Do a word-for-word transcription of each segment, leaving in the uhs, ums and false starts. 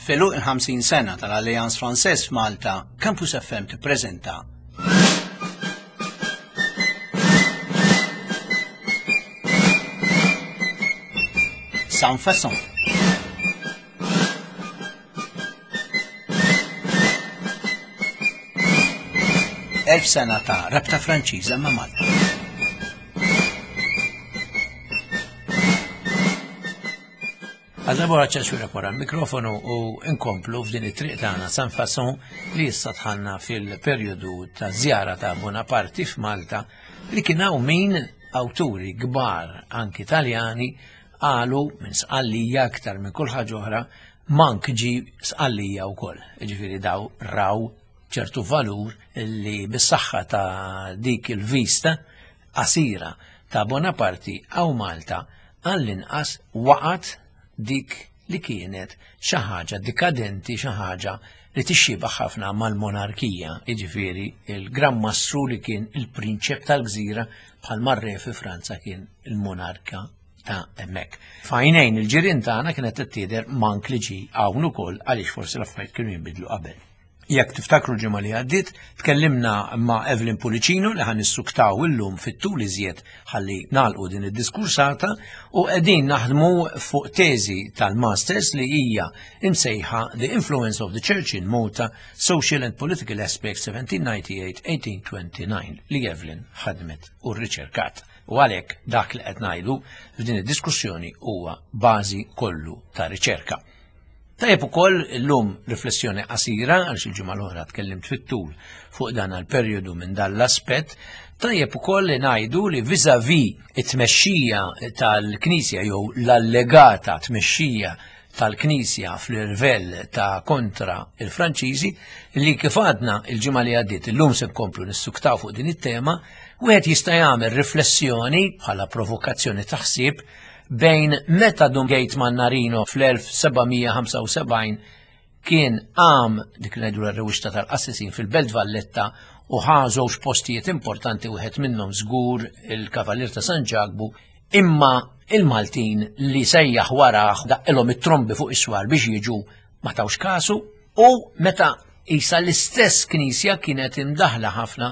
F'għeluq il-ħamsin sena tal-Alliance Française f'Malta, Campus F M tippreżenta Sans Façon. Elf sena ta' rabta Franċiża ma' Malta. Għal ċaċura wara l-mikrofonu u nkomplu f'din it-triq tagħna Sans Façon li issa dħalna fil-perjodu ta' żjara ta' Bonaparte f'Malta, li kien hawn min awturi kbar anki Taljani qalu minn Sqallija aktar minn kull ħaġa oħra mank ġi Sqallija wkoll. Ġifieri daw raw ċertu valur li bis-saħħa ta' dik il-vista qasira ta' Bonaparte għaw Malta għall-inqas waqgħet dik li kienet xi ħaġa dikadenti, xi ħaġa li tixxiebah ħafna mal-monarkija, jiġifieri il-Gran Mastru li kien il-prinċep tal-gżira bħal marre fi Franza kien il-monarka ta' hemmhekk. F'għajnejn il-ġirien tagħna kienet tidher mank li ġi hawn ukoll għaliex forsi l-affarijiet kienu jinbidlu qabel. Jekk tiftakru l-ġimgħa li għaddiet, tkellimna ma' Evelyn Pullicino li ħan nissuktaw illum fit-tul iżjed ħalli nagħlqu din id-diskursata, u qegħdin naħdmu fuq teżi tal-Masters li hija imsejħa The Influence of the Church in Malta, Social and Political Aspects seventeen ninety-eight eighteen twenty-nine li Evelyn ħadmet u rriċerkat. U għalhekk dak li qed ngħidu f'din id-diskussjoni huwa bażi kollu ta' riċerka. Tajjeb ukoll illum riflessjoni qasira, għaliex il-ġimgħa l-oħra tkellimt fit-tul fuq dan għall-perjodu minn dan l-aspett. Tajjeb ukoll li ngħidu li vis-à-vis it-tmexxija tal-Knisja jew l-allegata tmexxija tal-Knisja fl-irvell ta' kontra il-Franċiżi, li kif għadna il-ġimgħa li għaddiet illum se nkomplu nissuktaw fuq din it-tema, wieħed jista' jagħmel riflessjoni bħala provokazzjoni ta' ħsieb bejn meta Dun Gejt Mannarino fl-elf seba' mija ħamsa u sebgħin kien qam dik li ngħidu r-rewwixta tal-qassisin fil-Belt Valletta u ħa żewġ postijiet importanti, wieħed minnhom żgur il-Kavalier ta' San Ġakbu, imma il-Maltin li sejjaħ warah daqqilhom it-trombi fuq is-swar biex jiġu ma tawx kasu, u meta isa l-istess knisja kienet imdaħla ħafna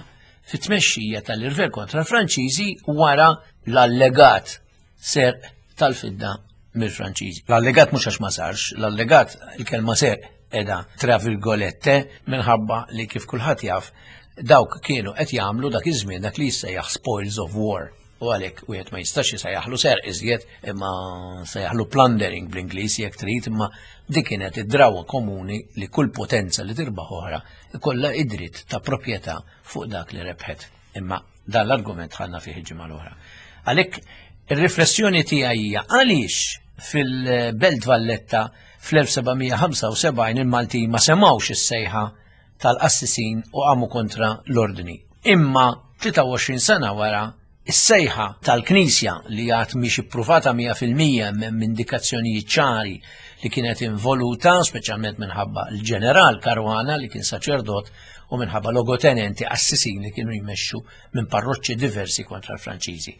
fit-tmexxija tal-irvell kontra l-Franċiżi wara l-allegat serq tal-fidda mill-Franċiżi. L-allegat mhux għax ma sarx, l-allegat il-kelma serq edha tra virgolette minħabba li kif kulħadd jaf dawk kienu qed jagħmlu dak iż-żmien dak li jissejjaħ spoils of war. U għalhekk wieħed ma jistax jsejjaħlu serq iżjed, imma sejjaħlu plundering bl-Ingliż jekk trid, imma dik kienet id-drawwa komuni li kull potenza li tirbaħ oħra ikollha id-dritt ta' proprjetà fuq dak li rebħet. Imma dan l-argument ħadna fih il-ġimgħa l-oħra. Għalhekk ir-riflessjoni tiegħi hija għaliex fil-Belt Valletta fl-elf seba' mija ħamsa u sebgħin il-Maltin ma semgħux is-sejħa tal-qassisin u qamu kontra l-ordni. Imma tlieta u għoxrin sena wara is-sejħa tal-Knisja li għad mhix ippruvata mija fil-mija minn indikazzjonijiet ċari li kienet involuta, speċjalment minħabba l-ġeneral Caruana li kien saċerdot u minħabba logotenenti qassisin li kienu jmexxu minn parroċċi diversi kontra l-Franċiżi.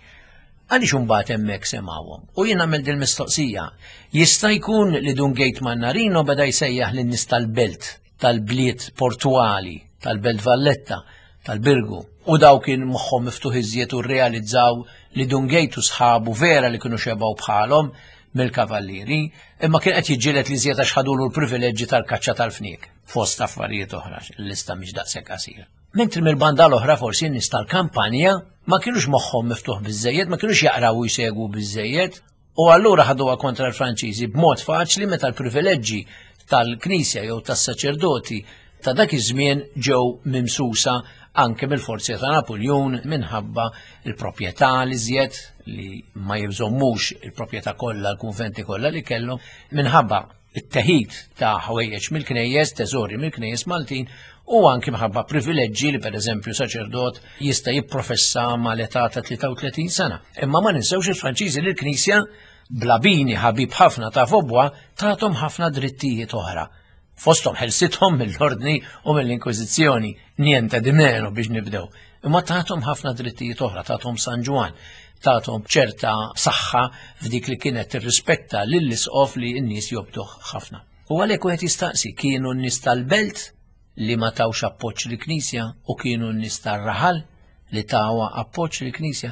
Għaliex imbagħad hemmhekk semgħuhom? U jien nagħmel din mistoqsija. Jista' jkun li Dun Gejt Mannarino beda jsejjaħ lin-nies tal-belt, tal-bliet portuali, tal-Belt Valletta, tal-Birgu, u daw kien moħħhom miftuħ iżjed u rrealizzaw li Dun Gejt u sħabu vera li kienu xebgħu bħalhom mill-kavallieri, imma kien qed jiġġieled li iżjed għax ħadulu l-privileġġi tal-kaċċa tal-fniek, fost affarijiet oħra, l-lista mhix daqshekk qasira. Mentri mill-banda l-oħra forsi n-nies tal-kampanja ma kienux moħħhom miftuħ biżżejjed, ma kienux jaqraw u jsegwu biżżejjed, u allura ħaduha kontra l-Franċiżi b'mod faċli meta l-privileġġi tal-Knisja jew tas-saċerdoti ta' dak iż-żmien ġew mimsusa anke mill-forzi ta' Napoleon minħabba il-proprjetà li żjed li ma jibżommux il-proprjetà kollha, l-kunventi kollha li kellhom, minħabba it-teħid ta' ħwejjeġ mill-knejjes, teżori mill-knejjes Maltin, u anke minħabba privileġġi li pereżempju saċerdot jista' jipprofessa mal-età ta' tlieta u tletin sena. Imma ma ninsewx il-Franċiżi li l-Knisja blabini ħabib ħafna ta' Vaubois tagħhom ħafna drittijiet oħra. Fosthom ħelsithom mill-ordni u mill-Inkwiżizzjoni, niente di meno biex nibdew. Imma tagħhom ħafna drittijiet oħra, tagħhom San Ġwann, tagħhom ċerta saħħa f'dik li kienet tirrispetta lill-isqof li n-nies jobduh ħafna. U għalhekk wieħed jistaqsi kienu n-nies tal-belt li ma tawx appoġġ lill-Knisja u kienu n-nies tar-raħal li tawa appoġġ lill-Knisja.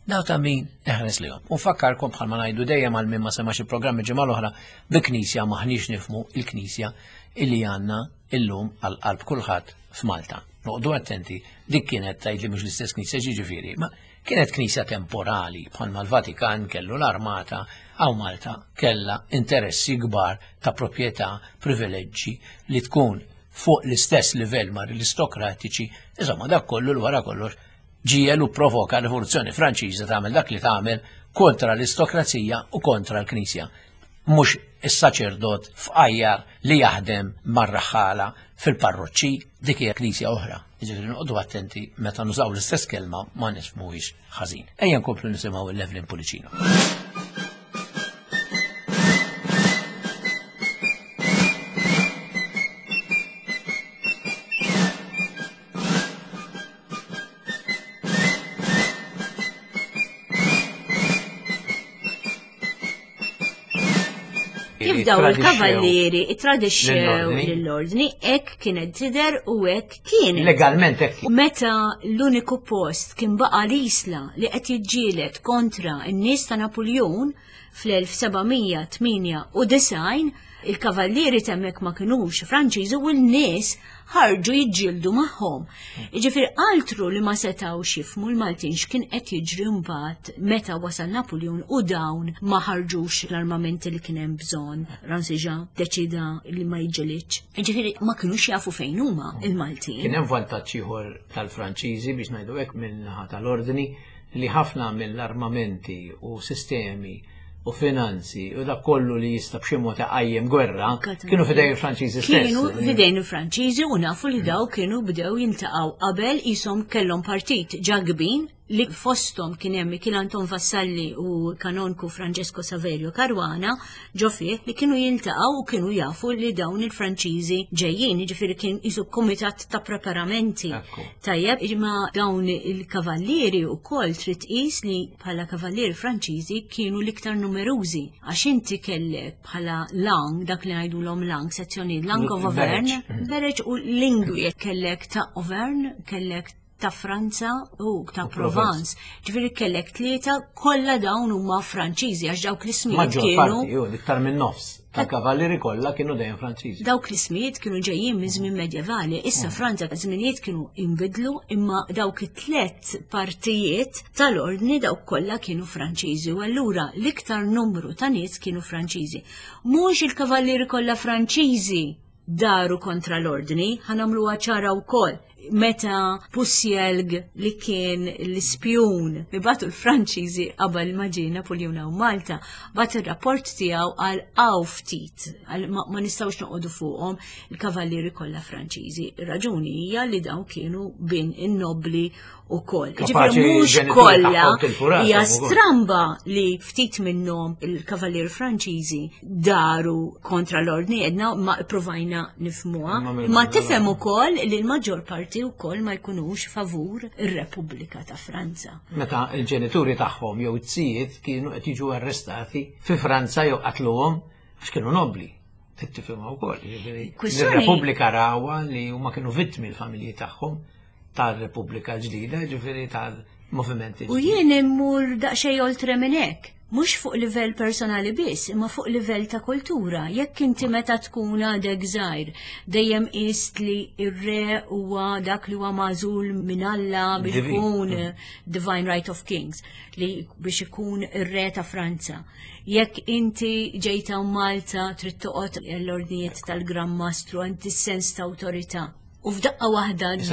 Daw ta' min eħres lihom. U fakkarkom bħalma ngħidu dejjem għal min ma semax il-programmi ġimgħa l-oħra, bi Knisja maħniex nifhmu il-Knisja illi għandna illum għal qalb kulħadd f'Malta. Noqogħdu attenti, dik kienet tgħid li mhux l-istess Knisja ġifieri, ma kienet Knisja temporali bħalma l-Vatikan kellu l-armata, għaw Malta kella interessi kbar ta' proprjetà, privileġġi li tkun fuq l-istess livell ma' l-aristokratiċi, insomma dak kollu l-wara kollox ġiel u provoka rivoluzzjoni Franċiża tagħmel dak li tagħmel kontra l-aristokrazija u kontra l-Knisja. Mhux is-saċerdot fqajjar li jaħdem mar-raħħala fil-parroċċi, dik hija Knisja oħra. Jiġifieri noqogħdu attenti meta nużaw l-istess kelma ma nifhmuhiex ħażin. Ejja nkomplu nisimgħu l-Evelyn Pullicino. Kif daw il-kavallieri tradixxew lill-ordni, hekk kienet tidher u hekk kienet. Legalment hekk. Meta l-uniku post kien baqa' l-Isla li qed jiġġieled kontra n-nies ta' Napuljun fl-elf sebgħamija tmienja u disgħin, il-kavallieri temmek ma kinux Franċiżi u l-nies ħarġu jiġġieldu magħhom. Jiġifieri altru li ma setgħux jifhmu l-Maltin x'kien qed jiġri mbagħad meta wasal Napuljun u dawn ma ħarġux l-armamenti li kien hemm bżonn. Ransiġa deċida li ma jiġġelidx. Jiġifieri ma kinux jafu fejn huma il-Maltin. Kien hemm vantaġġ ieħor tal-Franċiżi biex ngħidu hekk min-naħa tal-ordni li ħafna mill-armamenti u sistemi u finanzi u dak kollu li jista' b'xi mod iqajjem gwerra kienu f'idejn il-Franċiżi stess. Kienu f'idejn il-Franċiżi u nafu li daw kienu bdew jiltaqgħu qabel qishom kellhom partit ġagbin li fosthom kien hemm Mikiel Anton Vassalli u kanonku Francesco Saverio Caruana ġo fih li kienu jiltaqgħu u kienu jafu li dawn il-Franċiżi ġejjin, jiġifieri kien qisu kumitat ta' preparamenti. Tajjeb, imma dawn il-kavallieri wkoll trid tqis li bħala kavallieri Franċiżi kienu l-iktar numerużi għax inti kellek bħala lang, dak li ngħidulhom lang, sezzjoni Lang of Auvergne, Bereġ u lingwi kellek ta' Auvergne, kellek ta' Franza u ta' Provence. Ġifieri kellek tlieta, kollha dawn huma Franċiżi għax dawk l-ismijiet kienu. Iktar minn nofs tal-kavallieri kollha kienu dejjem Franċiżi. Dawk l-ismijiet kienu ġejjin minn żmien medjevali. Issa Franza żminijiet kienu inbidlu imma dawk it-tliet partijiet tal-ordni dawk kollha kienu Franċiżi u allura l-iktar numru ta' nies kienu Franċiżi. Mhux il-kavallieri kollha Franċiżi daru kontra l-ordni, ħanamluha ċara wkoll. Meta Pussielg li kien l-ispjun li batu l-Franċiżi qabel ma ġie Napuljun hawn Malta, bat ir-rapport tiegħu għal hawn ftit, għal ma, ma nistgħux noqogħdu fuqhom il-kavallieri kollha Franċiżi. Ir-raġuni hija li dawn kienu bin in-nobli ukoll. Ġifieri mhux kollha hija stramba li ftit minnhom il-kavallieri Franċiżi daru kontra l-ordni edna ma provajna nifhmuha, ma tifhem ukoll li l-maġġor parti wkoll ma jkunux favur ir-Repubblika ta' Franza. Meta l-ġenituri tagħhom jew it-sijiet kienu qed jiġu arrestati fi Franza jew qatluhom għax kienu nobli. Tifhimha wkoll. Ir-Repubblika rawha li huma kienu vittmi l-familji tagħhom tal-Repubblika ġdida, ġifieri tal-movimenti ġdida. U jien immur daqsxejn oltre minn hekk, mhux fuq livell personali biss, imma fuq livell ta' kultura. Jekk inti meta tkun għadek żgħir, dejjem qist li r-re huwa dak li huwa magħżul minn Alla biex ikun Divine Right of Kings, li biex ikun ir-re ta' Franza. Jekk inti ġejta Malta trid toqgħod l-ordnijiet tal-Gran Mastru, għandi sens ta' awtorità. U f'daqqa waħda di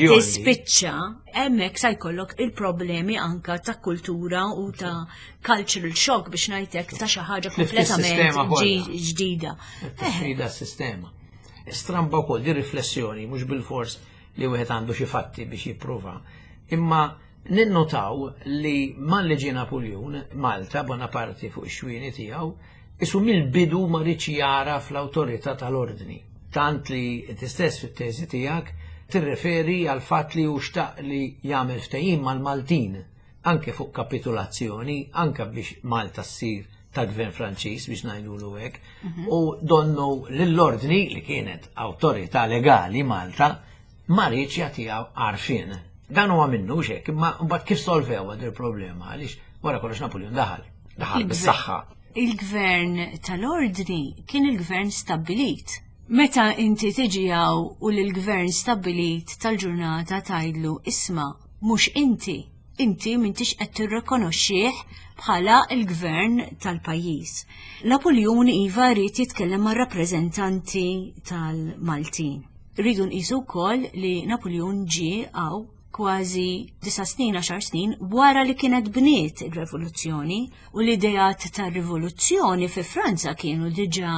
tispiċċa, hemmhekk sa jkollok il-problemi anka ta' kultura u ta' cultural shock biex ngħidlek ta' xi ħaġa kompletament ġdida. Tifrida s-sistema. Stramba wkoll di riflessjoni mhux bil-fors li wieħed għandu xi fatti biex jipprova. Imma ninnotaw li malli ġie Napuljun, Malta, Bonaparte fuq ix-xwieni tiegħu, isu mill-bidu ma riedx jara fl-awtorità tal-ordni. Tant li inti stess fit-teżi tiegħek tirreferi għal fatt li hu xtaq li jagħmel ftehim mal-Maltin anke fuq kapitulazzjoni, anke biex Malta ssir tal-gvern Franċiż biex ngħidulu hekk, u donnu lill-ordni li kienet awtorità legali Malta ma riedx jagħtiha għarfien. Dan huwa minnu xek, imma mbagħad kif solvew għad il-problema għaliex wara kollox Napoleon daħal, daħal bis-saħħa. Il-gvern tal-ordni kien il-gvern stabbilit. Meta inti tiġi hawn u l-gvern stabbilit tal-ġurnata tgħidlu isma' mhux inti, inti m'intix qed tirrikonoxxih bħala il-gvern tal-pajjiż. Napoleon iva ried jitkellem mar-rappreżentanti tal-Maltin. Rridu nqisu wkoll li Napoleon ġie hawn kważi disa snin, għaxar snin wara li kienet bniet il-rivoluzzjoni u l-ideat tar-rivoluzzjoni fi Franza kienu diġà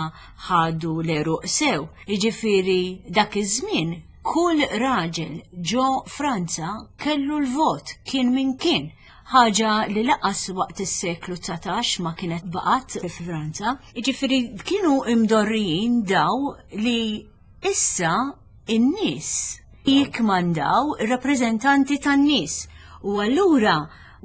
ħadu l-għeruq sew. Jiġifieri dak iż-żmien kull raġel ġo Franza kellu l-vot kien min kien. Ħaġa li lanqas waqt is-seklu dsatax ma kienet baqgħet fi Franza. Jiġifieri kienu imdorrijin daw li issa in-nies jikmandaw ir-rappreżentanti tan-nies. U allura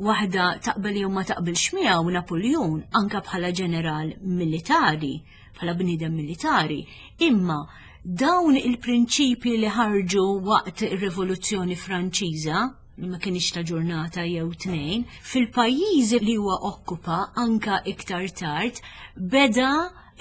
waħda taqbel jew ma taqbilx miegħu Napoleon anka bħala ġeneral militari, bħala bniedem militari, imma dawn il-prinċipi li ħarġu waqt ir-Rivoluzzjoni Franċiża li ma kienx ta' ġurnata jew tnejn, fil-pajjiżi li huwa okkupa anka iktar tard beda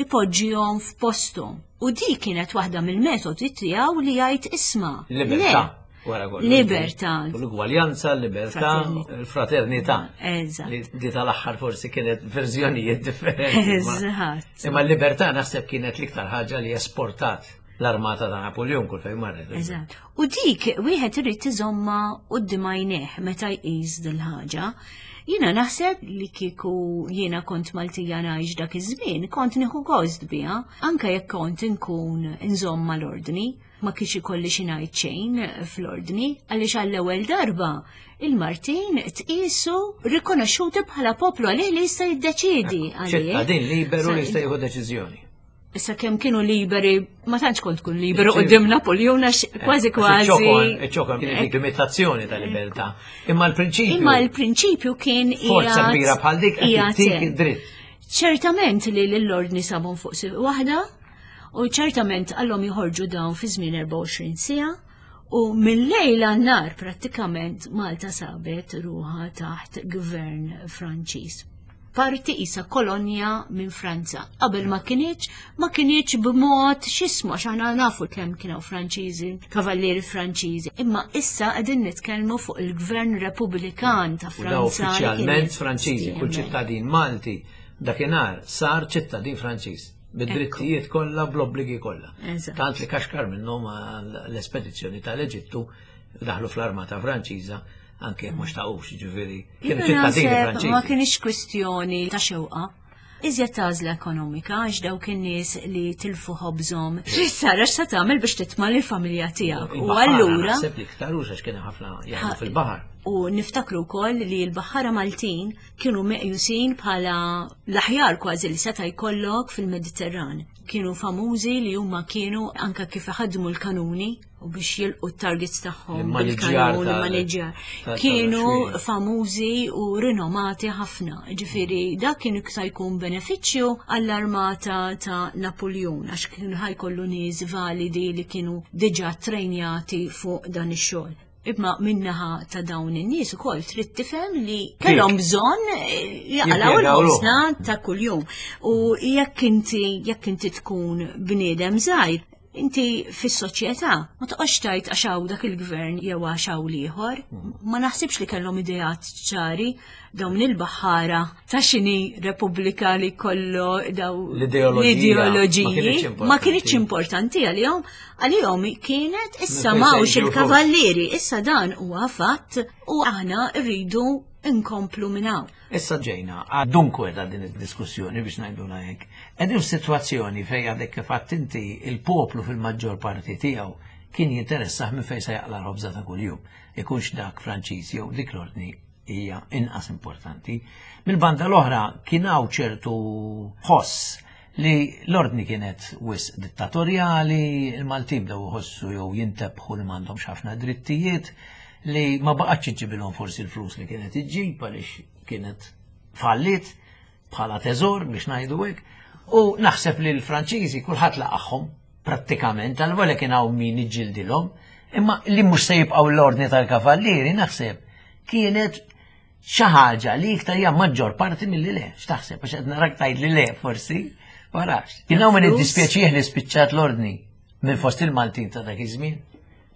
ipoġġihom f'posthom. U di kienet waħda mill-metodi tiegħu li jgħid isma'. Libertà. Wara kollox. Libertà. L-ugwaljanza, l-libertà, l-fraternità. Eżatt. Li di tal-aħħar forsi kienet verżjonijiet differenti. ma- Eżatt. Imma l-libertà naħseb kienet l-iktar ħaġa li esportat l-armata ta' Napoleon kull fejn marret. Eżatt. U dik wieħed irid iżomma quddiem għajnejh meta jqis dil-ħaġa. Jiena naħseb li kieku jiena kont Maltija ngħix dak iż-żmien, kont nieħu gost biha, anke jekk kont inkun inżomm mal-ordni, ma kienx ikolli xi ngħid xejn fl-ordni, għaliex għall-ewwel darba il-Maltin tqisu rikonoxxuti bħala poplu għalih li jista' jiddeċiedi għalih. ċittadin liberu li jista' jieħu deċiżjoni. Issa kemm kienu liberi, ma tantx kont tkun liberu quddiem Napoleon għax kważi kważi. Iċ-ċokon kienet dik limitazzjoni ta' libertà. Imma l-prinċipju. Imma l-prinċipju kien Forza qiegħed- kbira bħal dik qed qiegħed tittik hemm. id-dritt. Ċertament li l-ordni sabhom fuq sieq waħda u ċertament għallhom joħorġu dawn fi żmien erbgħa u għoxrin siegħa u mill-lejl għan-nhar prattikament Malta sabet ruħha taħt gvern Franċiż. Parti isa kolonja minn Franza. Qabel ma kinitx, ma kinitx b'mod x'ismu għax aħna nafu kemm kienu Franċiżi, kavallieri Franċiżi. Imma issa qegħdin nitkellmu fuq il-gvern Repubblikan ta' U daw Franza li kien uffiċjalment Franċiżi, kull hemmhekk. ċittadin Malti dakinhar sar ċittadin Franċiż bid-drittijiet kollha, bl-obbligi kollha. Eżatt. Tant li kaxkar minnhom l-espedizzjoni tal-Eġittu daħlu fl-armata Franċiża anke jekk mhux taqux, ġifieri kienu Jiena ċittadini naħseb Ma Franċiżi. kienx kwistjoni ta' xewqa. Iżjed għażla ekonomika għax dawk in-nies li tilfu ħobżhom. Issa għax sa tagħmel biex titma' lill-familja tiegħek. U Il-baħħara allura naħseb li iktar għax kien ħafna jaħdmu fil-baħar. U niftakru wkoll li l-baħħara Maltin kienu meqjusin bħala l-aħjar kważi li seta' jkollok fil-Mediterran. Kienu famużi li huma kienu anka kif ħadmu l-kanuni u biex jilqu t-targets tagħhom L-immaniġġjar bil-kanun, tal- l-immaniġġjar. tal- Kienu tal-xwieq. famużi u rinomati ħafna. Ġifieri dak kien sa jkun benefiċċju għall-armata ta' Napoleon għax kienu ħa jkollu nies validi li kienu diġà trejnjati fuq dan ix-xogħol. Imma min-naħa ta' dawn in-nies ukoll trid tifhem li kellhom bżonn eh, jaqalgħu Jimpjegaw l-ħobżna ta' kuljum. U jekk inti jekk inti tkun bniedem żgħir, inti fis-soċjetà ma toqgħodx tgħid għax hawn dak il-gvern jew għax hawn l-ieħor. Ma naħsibx li kellhom ideat ċari dawn il-baħħara ta' xini Repubblika li kollu daw L-ideoloġija ma l-ideoloġiji kinitx importanti. ma kinitx importanti għalihom. Għalihom kienet issa Minn fejn se m'hawnx jiġu il-kavallieri, issa dan huwa fatt u aħna rridu nkomplu minn hawn. Issa ġejna, dunkwe ta' din id-diskussjoni biex ngħidulha hekk. Qegħdin f'sitwazzjoni fejn għadek kif għedt inti il-poplu fil-maġġor parti tiegħu kien jinteressah minn fejn se jaqla l-ħobża ta' kuljum. Ikunx dak Franċiż jew dik l-ordni hija inqas importanti. Mill-banda l-oħra kien hawn ċertu ħoss li l-ordni kienet wisq dittatorjali, il-Maltin bdew iħossu jew jintebħu li m'għandhomx ħafna drittijiet, li ma baqgħetx iġġibilhom forsi l-flus li kienet iġġib għaliex kienet fallit. bħala teżor biex ngħidu hekk, u naħseb li l-Franċiżi kulħadd laqagħhom prattikament, għal kien hawn min iġġildilhom, imma li mhux se jibqgħu l-ordni tal-kavallieri naħseb kienet xi ħaġa li iktar hija maġġor parti milli le, x'taħseb, għax qed narak tgħid li le forsi, ma nafx. Kien hawn min iddispjaċih li spiċċat l-ordni minn fost il-Maltin ta' dak iż-żmien.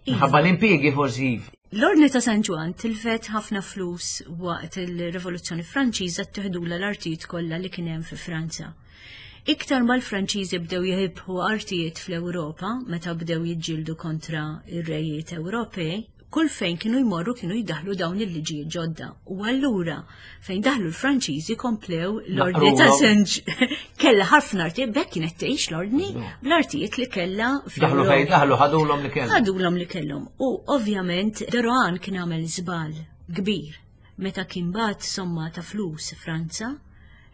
Minħabba l-impjiegi forsi. L-Ordni ta' San Ġwann tilfet ħafna flus waqt il-Rivoluzzjoni Franċiża ttiħdulha l-artijiet kollha li kien hemm fi Franza. Iktar ma l-Franċiżi bdew jirbħu artijiet fl-Ewropa meta bdew jiġġieldu kontra ir-rejiet Ewropej, kull fejn kienu jmorru kienu jdaħlu dawn il-liġijiet ġodda. U allura fejn daħlu l-Franċiżi komplew l-Ordni ta' San kellha ħafna artijiet, bekk kienet tgħix l-Ordni bl-artijiet li kellha Daħlu fejn daħlu ħadulhom li kellhom. Ħadulhom li kellhom. U ovvjament de Rohan kien għamel żball kbir meta kien bagħat somma ta' flus Franza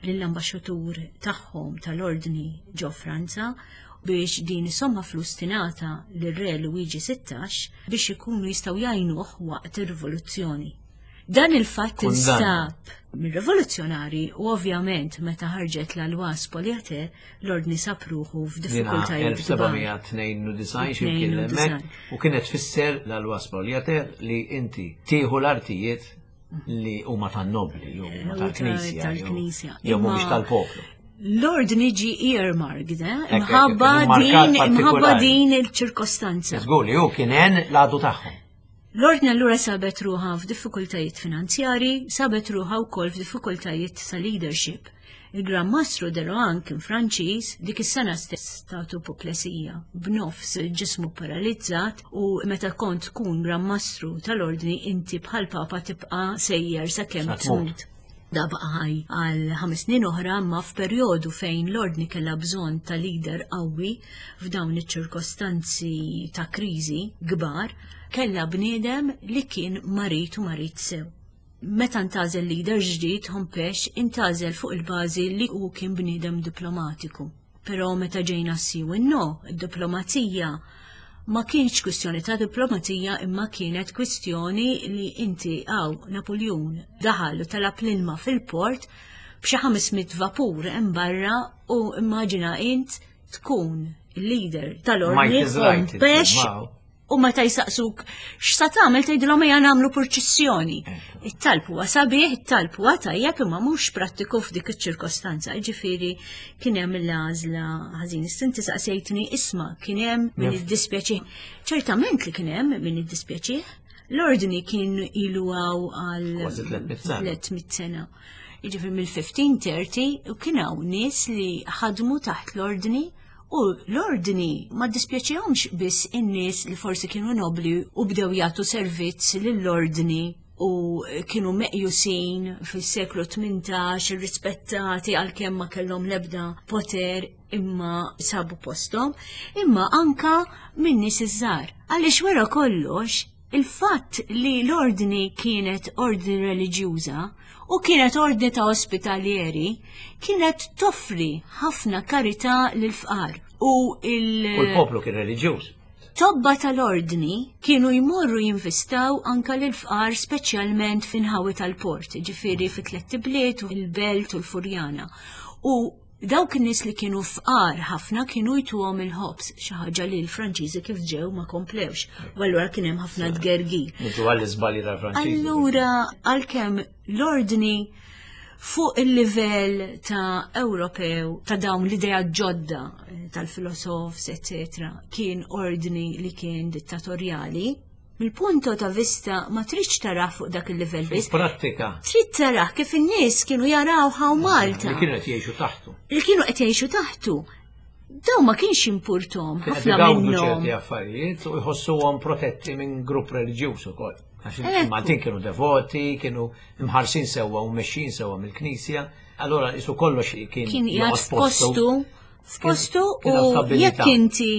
lill-ambaxxatur tagħhom tal-Ordni ġo Franza biex din is-somma flus tingħata lir-Re Luigi sittax biex ikunu jistgħu jgħinuh waqt ir-rivoluzzjoni. Dan il-fatt instab mir-rivoluzzjonari u ovvjament meta ħarġet la loi spoliateur l-Ordni sab ruħu f'diffikultajiet. elf seba' mija tnejn u disgħin x'imkien hemmhekk, u kienet tfisser la loi spoliateur li inti tieħu l-artijiet li huma tan-nobli jew huma tal-Knisja jew mhumiex tal-poplu. L-ordni ġi earmarked, eh? Imħabba din, imħabba din il-ċirkostanza. Żgur li hu kien hemm l-għadu tagħhom. L-ordni allura sabet ruħha f'diffikultajiet finanzjari, sabet ruħha wkoll f'diffikultajiet ta' leadership. Il-Gran Mastru de Rohan kien Franċiż, dik is-sena stess tatu apoplesija, b'nofs ġismu paralizzat, u meta kont tkun Gran Mastru tal-Ordni inti bħal Papa tibqa' sejjer sakemm tmut. Da baqa' ħaj għal ħames snin oħra, ma f'perjodu fejn l-ordni kellha bżonn ta' leader qawwi f'dawn iċ-ċirkostanzi ta' kriżi kbar, kellha bniedem li kien marit u marit sew. Meta ntgħażel leader ġdid Hompesch, intgħażel fuq il-bażi li hu kien bniedem diplomatiku. Però meta ġejna sì u no, id-diplomazija ma kienx kwistjoni ta' diplomazija imma kienet kwistjoni li inti għaw Napoleon daħal u talab l-ilma fil-port b'xi ħames mitt vapur hemm barra u immaġina int tkun il-leader tal-ordni Hompesch u meta jsaqsuk x'sa tagħmel tgħidilhom ejja nagħmlu purċissjoni. It-talb huwa sabiħ, it-talb huwa tajjeb imma mhux prattiku f'dik iċ-ċirkostanza. Ġifieri kien hemm l-għażla ħażin. Inti saqsejtni isma' kien hemm min iddispjaċih. Ċertament li kien hemm min iddispjaċih. L-ordni kien ilu għal tliet mitt sena. Jiġifieri mill-elf ħames mija u tletin u kien hawn nies li ħadmu taħt l-ordni. U l-ordni ma dispjaċihomx biss in-nies li forsi kienu nobli u bdew jagħtu servizz lill-ordni u kienu meqjusin fis-seklu tmintax, irrispettati għalkemm ma kellhom l-ebda poter imma sabu postom, imma anka minn nies iż-żgħar. Għaliex wara kollox, il-fatt li l-ordni kienet ordni reliġjuża u kienet ordni ta' ospitalieri, kienet toffri ħafna karità lil fqar. U il-poplu kien reliġjuż. Tobba tal-ordni kienu jmorru jinvistaw anka l-fqar speċjalment f'inħawi tal-port, ġifieri fi Tlett Ibliet u il-Belt u l-Furjana. U dawk in-nies li kienu fqar ħafna kienu jtuhom il-ħobż, xi ħaġa li l-Franċiżi kif ġew ma komplewx. U allura kien hemm ħafna tgergir. Niġu għall-iżbalji tal-Franċiżi. Allura għalkemm l-ordni fuq il-livell ta' Ewropew ta' dawn l-idea ġodda eh, tal-filosofs, eccetera, kien ordni li kien dittatorjali, mill-punto ta' vista ma tridx tara fuq dak il-livell biss. Pratika. Trid tara kif in-nies kienu jaraw hawn Malta. Li kienu qed jgħixu taħtu. Li kienu qed jgħixu taħtu. Daw ma kienx impurtom ħafna minnhom. Minnhom. Ċerti affarijiet u jħossuhom protetti minn grupp reliġjuż ukoll. Għax il-Maltin kienu devoti, kienu imħarsin sewwa u mexxin sewwa mill-Knisja, allora isu kollox kien kien qiegħed f'postu f'postu Kien hawn u stabilità. Jekk inti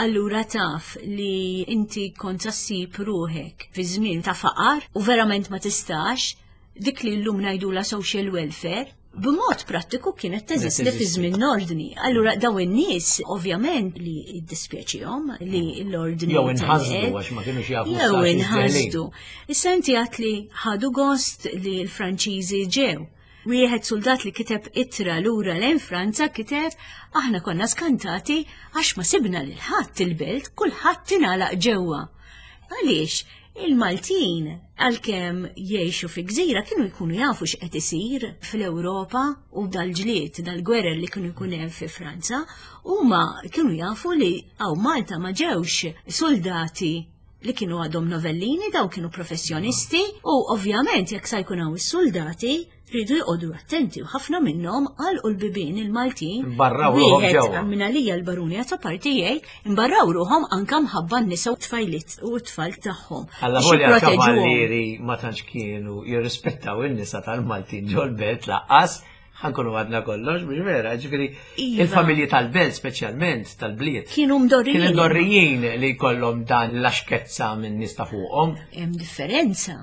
allura taf li inti kont ssib ruħek fi żmien ta' faqar u verament ma tistax, dik li llum ngħidula social welfare, b'mod prattiku kienet teżisti fi teżisti. żmien l-ordni. Allura daw in-nies ovvjament li jiddispjaċihom li l-ordni Jew inħasdu telqet. għax ma kienux jafu Jew s-saċ inħasdu. Issa inti għat li ħadu gost li l-Franċiżi ġew. Wieħed soldat li kiteb ittra lura lejn Franza kiteb aħna konna skantati għax ma sibna lil ħadd il-belt, kulħadd ingħalaq ġewwa. Għaliex il-Maltin għalkemm jgħixu fi gżira kienu jkunu jafu x'qed isir fl-Ewropa u dal-ġlied, dal-gwerer li kienu jkun hemm fi Franza, huma kienu jafu li hawn Malta ma ġewx soldati li kienu għadhom novellini, daw kienu professjonisti u ovvjament jekk sa jkun hawn is-soldati rridu jqogħdu attenti u ħafna minnhom għalqu l-bibien il-Maltin. Imbarraw ruħhom Wieħed ġewwa. minn għalija l-baruni għata parti jgħid imbarraw ruħhom anka mħabba n-nisa u tfajlit u t-tfal tagħhom. Alla Biex volja jipproteġuhom. kavallieri ma tantx kienu jirrispettaw in-nisa tal-Maltin ġol-belt lanqas, ħa nkunu għadna kollox, mhux vera, ġifieri Iva. il-familji tal-belt speċjalment tal-bliet. Kienu mdorrijin. Kienu mdorrijin li jkollhom dan l-axkezza minn nies ta' fuqhom Hemm differenza.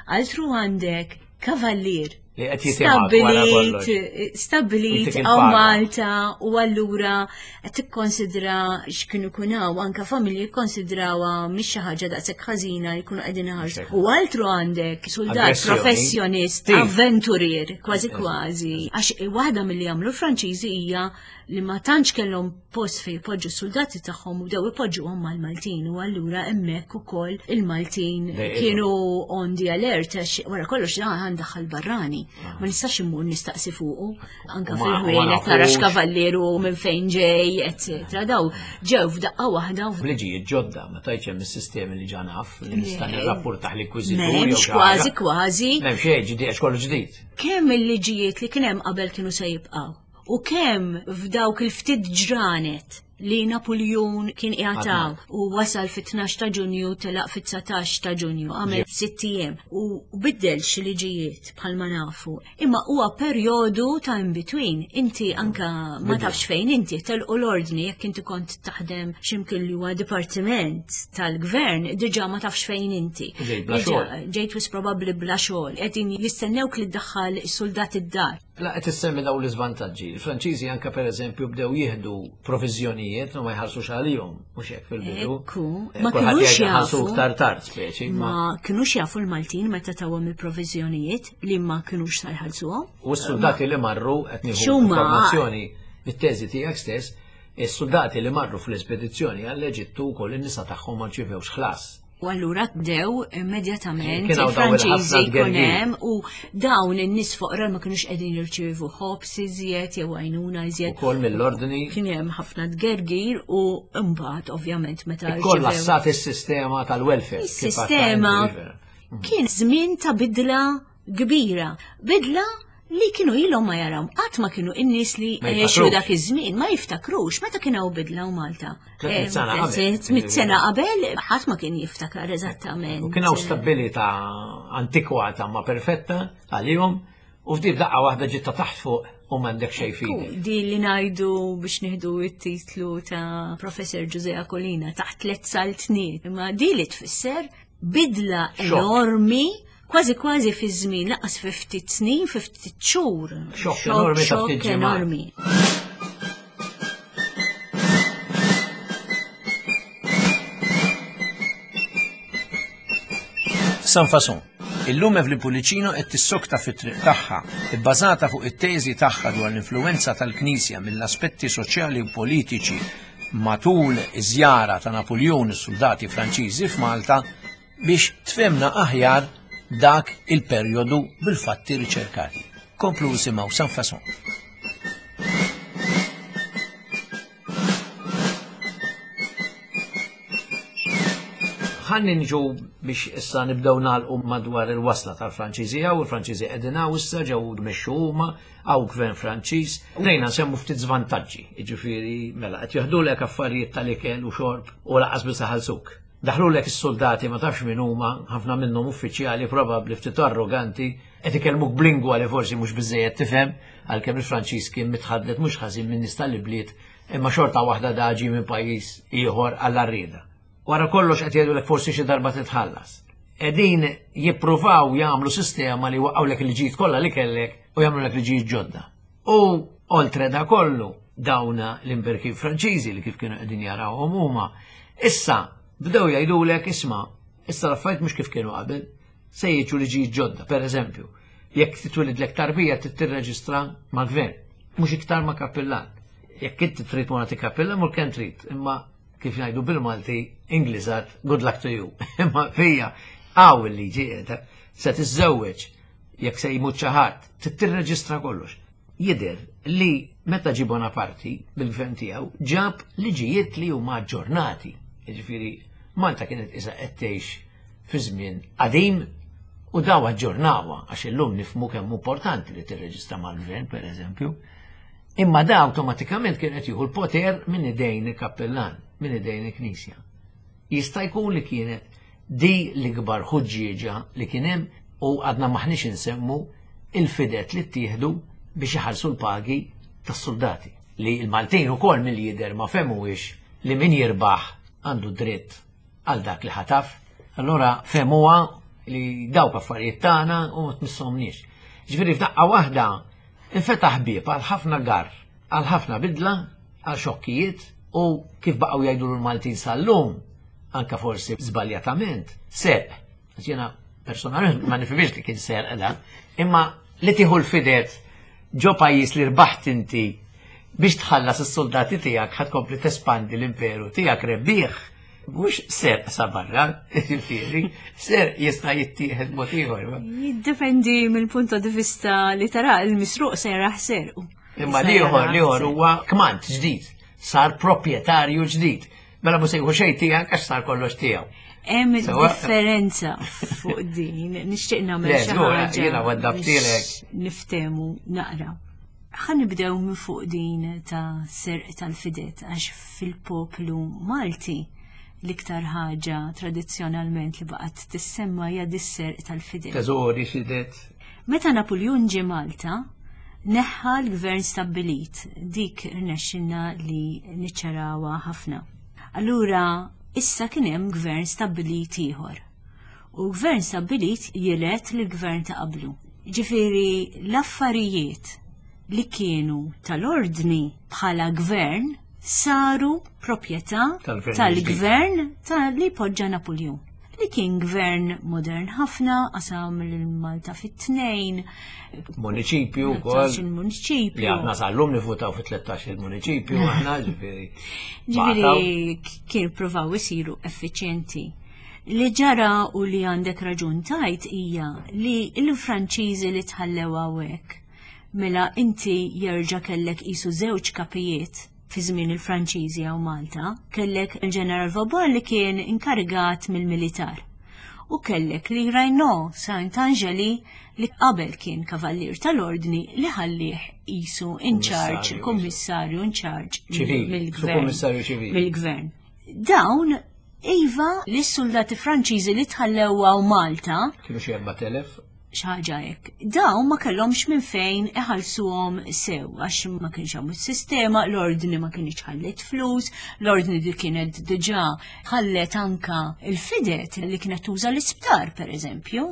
Altru għandek kavallier li qed jitimgħek wara kollox. Stabbilit, stabbilit Jitik hawn il-paga. Malta u allura qed tikkonsidra x'kienu jkun hawn anke familji jikkonsidrawha mhix xi ħaġa daqshekk ħażina li jkunu qegħdin iħarsu. U altru għandek soldat Aggressjoni. professjonist, Tif. avventurier, kważi kważi. Għax waħda milli jagħmlu l-Franċiżi hija li ma tantx kellhom post fejn jpoġġu s-soldati tagħhom u bdew ipoġġuhom mal-Maltin u allura hemmhekk ukoll il-Maltin Dejqithom. kienu on the alert għax wara kollox dan għandaħħal barrani. Ma nistax immur nistaqsi fuqu anka U ma- u ma fil-ħwienet nara nafux. x'kavalieru minn fejn ġej, eċetera. Daw ġew f'daqqa waħda u Liġijiet ġodda, ma tajċ hemm is-sistemi li ġa naf li nista' Le. nirrapportaħ l-inkwiżitur. jew M'hemmx xi kważi ħaġa. kważi M'hemm xejn ġdid, għax kollu ġdid. kemm il-liġijiet li kien hemm qabel kienu se jibqgħu u kemm f'dawk il-ftit ġranet li Napoleon kien qiegħed u wasal fit-tnax ta' Ġunju telaq fit-dsatax ta' Ġunju għamel sitt ijiem u biddel xi liġijiet bħalma nafu. Imma huwa perjodu ta' in between. Inti anka ma tafx fejn inti telqu l-ordni jekk inti kont taħdem x'imkien li huwa dipartiment tal-gvern diġà ma tafx fejn inti. Ġejt bla Diġà xogħol. Ġejt wis probabbli bla xogħol. Qegħdin jistennewk li ddaħħal is-soldat id-dar. La qed issemmi dawn l-iżvantaġġi. Il-Franċiżi anke pereżempju bdew jieħdu proviżjonijiet u ma jħallsux għalihom, mhux hekk fil-bidu. Ekku, Eh, ma kulħadd kinux jgħid ħallsu jafu. iktar tard speċi, ma Ma kinux jafu l-Maltin meta tawhom il-proviżjonijiet li ma kinux sa jħallsuhom. U s-soldati li marru qed nieħu X'huma? informazzjoni mit-teżi tiegħek stess, is-soldati li marru fl-espedizzjoni għall-Eġittu wkoll in-nisa tagħhom ma rċivewx ħlas. U allura bdew immedjatament Kien hawn dawn il-ħafna il-Franċiżi jkun tgergir. hemm u dawn in-nies foqra ma kinux qegħdin jirċievu ħobż iżjed jew għajnuna iżjed. Ukoll mill-ordni Kien hemm ħafna tgergir u mbagħad ovvjament meta rċivew ikkollassat is-sistema tal-welfare. kif Is-sistema għadna inti, kien żmien ta' bidla kbira. Bidla li kienu ilhom ma jaraw. Qatt ma kienu in-nies li Ma għexu jiftakrux. dak iż-żmien ma jiftakrux meta kien hawn bidla u Malta. Tliet mitt sena Eh, qabel. tliet mitt sena qabel ħadd ma kien jiftakar eżattament. U kien hawn stabilità antikwata ma perfetta għalihom u ftit daqqa waħda ġitta taħt fuq u m'għandek xejn f'idek. Di li ngħidu biex nieħdu it-titlu ta' Professor Giuseppe Colina taħt tliet saltniet. Imma di li tfisser bidla Xokk. enormi kważi kważi fi żmien lanqas fi ftit snin, fi ftit xhur. Xokk enormi ta' ftit Xokk ġimgħat. enormi. Sans Façon. Illum Evelyn Pullicino qed tissokta fit-triq tagħha, ibbażata fuq it-teżi tagħha dwar l-influenza tal-Knisja mill-aspetti soċjali u politiċi matul iż-żjara ta' Napoleon is-soldati Franċiżi f'Malta biex tfhimna aħjar dak il-perjodu bil-fatti riċerkati. Komplu isimgħu Sans Façon. Ħalli nġu biex issa nibdew nagħlqu madwar il-wasla tal-Franċiżi u il-Franċiżi qegħdin hawn issa ġew mexxu huma hawn gvern Franċiż. Bdejna nsemmu ftit żvantaġġi, jiġifieri mela qed jaħdulek affarijiet tal-ikel u xorb u lanqas biss ħallsuk. Daħlulek is-soldati ma tafx min huma, ħafna minnhom uffiċjali probabbli ftit arroganti, qed ikellmuk b'lingwa li forsi mhux biżejjed tifhem, għalkemm il-Franċiż kien mitħaddet mhux ħażin minn nies tal-ibliet, imma xorta waħda daġi minn pajjiż ieħor għall-arrieda. Wara kollox qed jgħidulek forsi xi darba titħallas. Qegħdin jippruvaw jagħmlu sistema li waqgħulek il-ġid kollha li kellek u jagħmlulek liġijiet ġodda. U oltre da kollu dawna l-imberki Franċiżi li kif kienu qegħdin jarawhom huma, issa bdew jgħidulek isma' issa l-affarijiet mhux kif kienu qabel, se jiġu liġijiet ġodda, per eżempju, Jekk titwilidlek tarbija trid tirreġistra mal-gvern, mhux iktar ma' kappillan. Jekk inti trid mur għand kappillan mur kemm trid, imma kif ngħidu bil-Malti Ingliżat, good luck to you. Imma fija hawn il-liġi qiegħda se tiżżewweġ jekk se jmut xi ħadd, trid tirreġistra kollox. Jidher li meta ġie Bonaparte bil-gvern tiegħu ġab liġijiet li huma aġġornati. Jiġifieri Malta kienet isa qed tgħix fi żmien qadim u daw aġġornawha għax illum nifhmu kemm importanti li tirreġistra mal-gvern pereżempju. Imma da awtomatikament kien qed jieħu l-poter minn idejn il-kappellan, minn idejn il-Knisja. Jista' jkun li kienet di l-ikbar ħuġġieġa li kien hemm u għadna maħniex insemmu il-fidet li ttieħdu biex iħallsu l-pagi tas-soldati. Li l-Maltin ukoll mill-jidher ma fehmuhiex li min jirbaħ għandu dritt għal dak li ħataf. Allora fehmuha li dawk affarijiet tagħna u ma tmissomniex. Ġifieri f'daqqa waħda infetaħ bieb għal ħafna gar, għal ħafna bidla, għal xokkijiet u kif baqgħu jgħidu l-Maltin sal-lum, anka forsi żbaljatament, serq. Jiena personalment ma nifhimx li kien serq da, imma li tieħu l-fidet ġo pajjiż li rbaħt inti biex tħallas is-soldati tiegħek ħa tkompli tespandi l-imperu tiegħek rebbieħ mhux serq sa barra, jiġifieri, serq jista' jittieħed mod ieħor. Jiddependi mill-punto di vista li tara il-misruq se jarah serqu. Imma l-ieħor l-ieħor huwa kmand ġdid, sar proprjetarju ġdid. Mela mhux se jieħu xejn tiegħek għax sar kollox tiegħu. Hemm differenza fuq din, nixtieq nagħmel xi ħaġa. Jiena waddabtilek. Niftehmu naqra. Ħa nibdew minn fuq din ta' serq tal-fidet għax fil-poplu Malti l-iktar ħaġa tradizzjonalment li baqgħet tissemma hija dis-serq tal-fidet. Teżori fidet. Meta Napoleon ġie Malta, neħħa l-gvern stabbilit, dik rnexxilna li niċċarawha ħafna. Allura issa kien hemm gvern stabbilit ieħor. U gvern stabbilit jilet l-gvern ta' qablu. Ġifieri l-affarijiet li kienu tal-ordni bħala gvern saru proprjetà tal-gvern ta' li poġġa Napoleon. Li kien gvern modern ħafna, qasam l-Malta fit-tnejn. Municipju wkoll. Il-municipju. Li aħna sal-lum nivvutaw fit tlettax il-municipju aħna ġifieri. Ġifieri kien provaw isiru effiċjenti. Li ġara u li għandek raġun tajt hija li l-Franċiżi li tħallew hawnhekk mela inti jerġa' kellek qisu żewġ kapijiet fi żmien il-Franċiżi hawn Malta, kellek il-Ġeneral Vauban li kien inkarigat mill-militar. U kellek li Raynaud Saint-Angeli li qabel kien kavallier tal-ordni li ħallih qisu in charge, kummissarju in charge mill-gvern. Mill-gvern. Dawn iva li s-soldati Franċiżi li tħallew hawn Malta. Kienu xi erbat elef? Xi ħaġa hekk. Dawn ma kellhomx minn fejn iħallsuhom sew għax ma kienx hawn is-sistema, l-ordni ma kienx ħallet flus, l-ordni di kienet diġà ħallet anka il-fidet li kienet tuża l-isptar pereżempju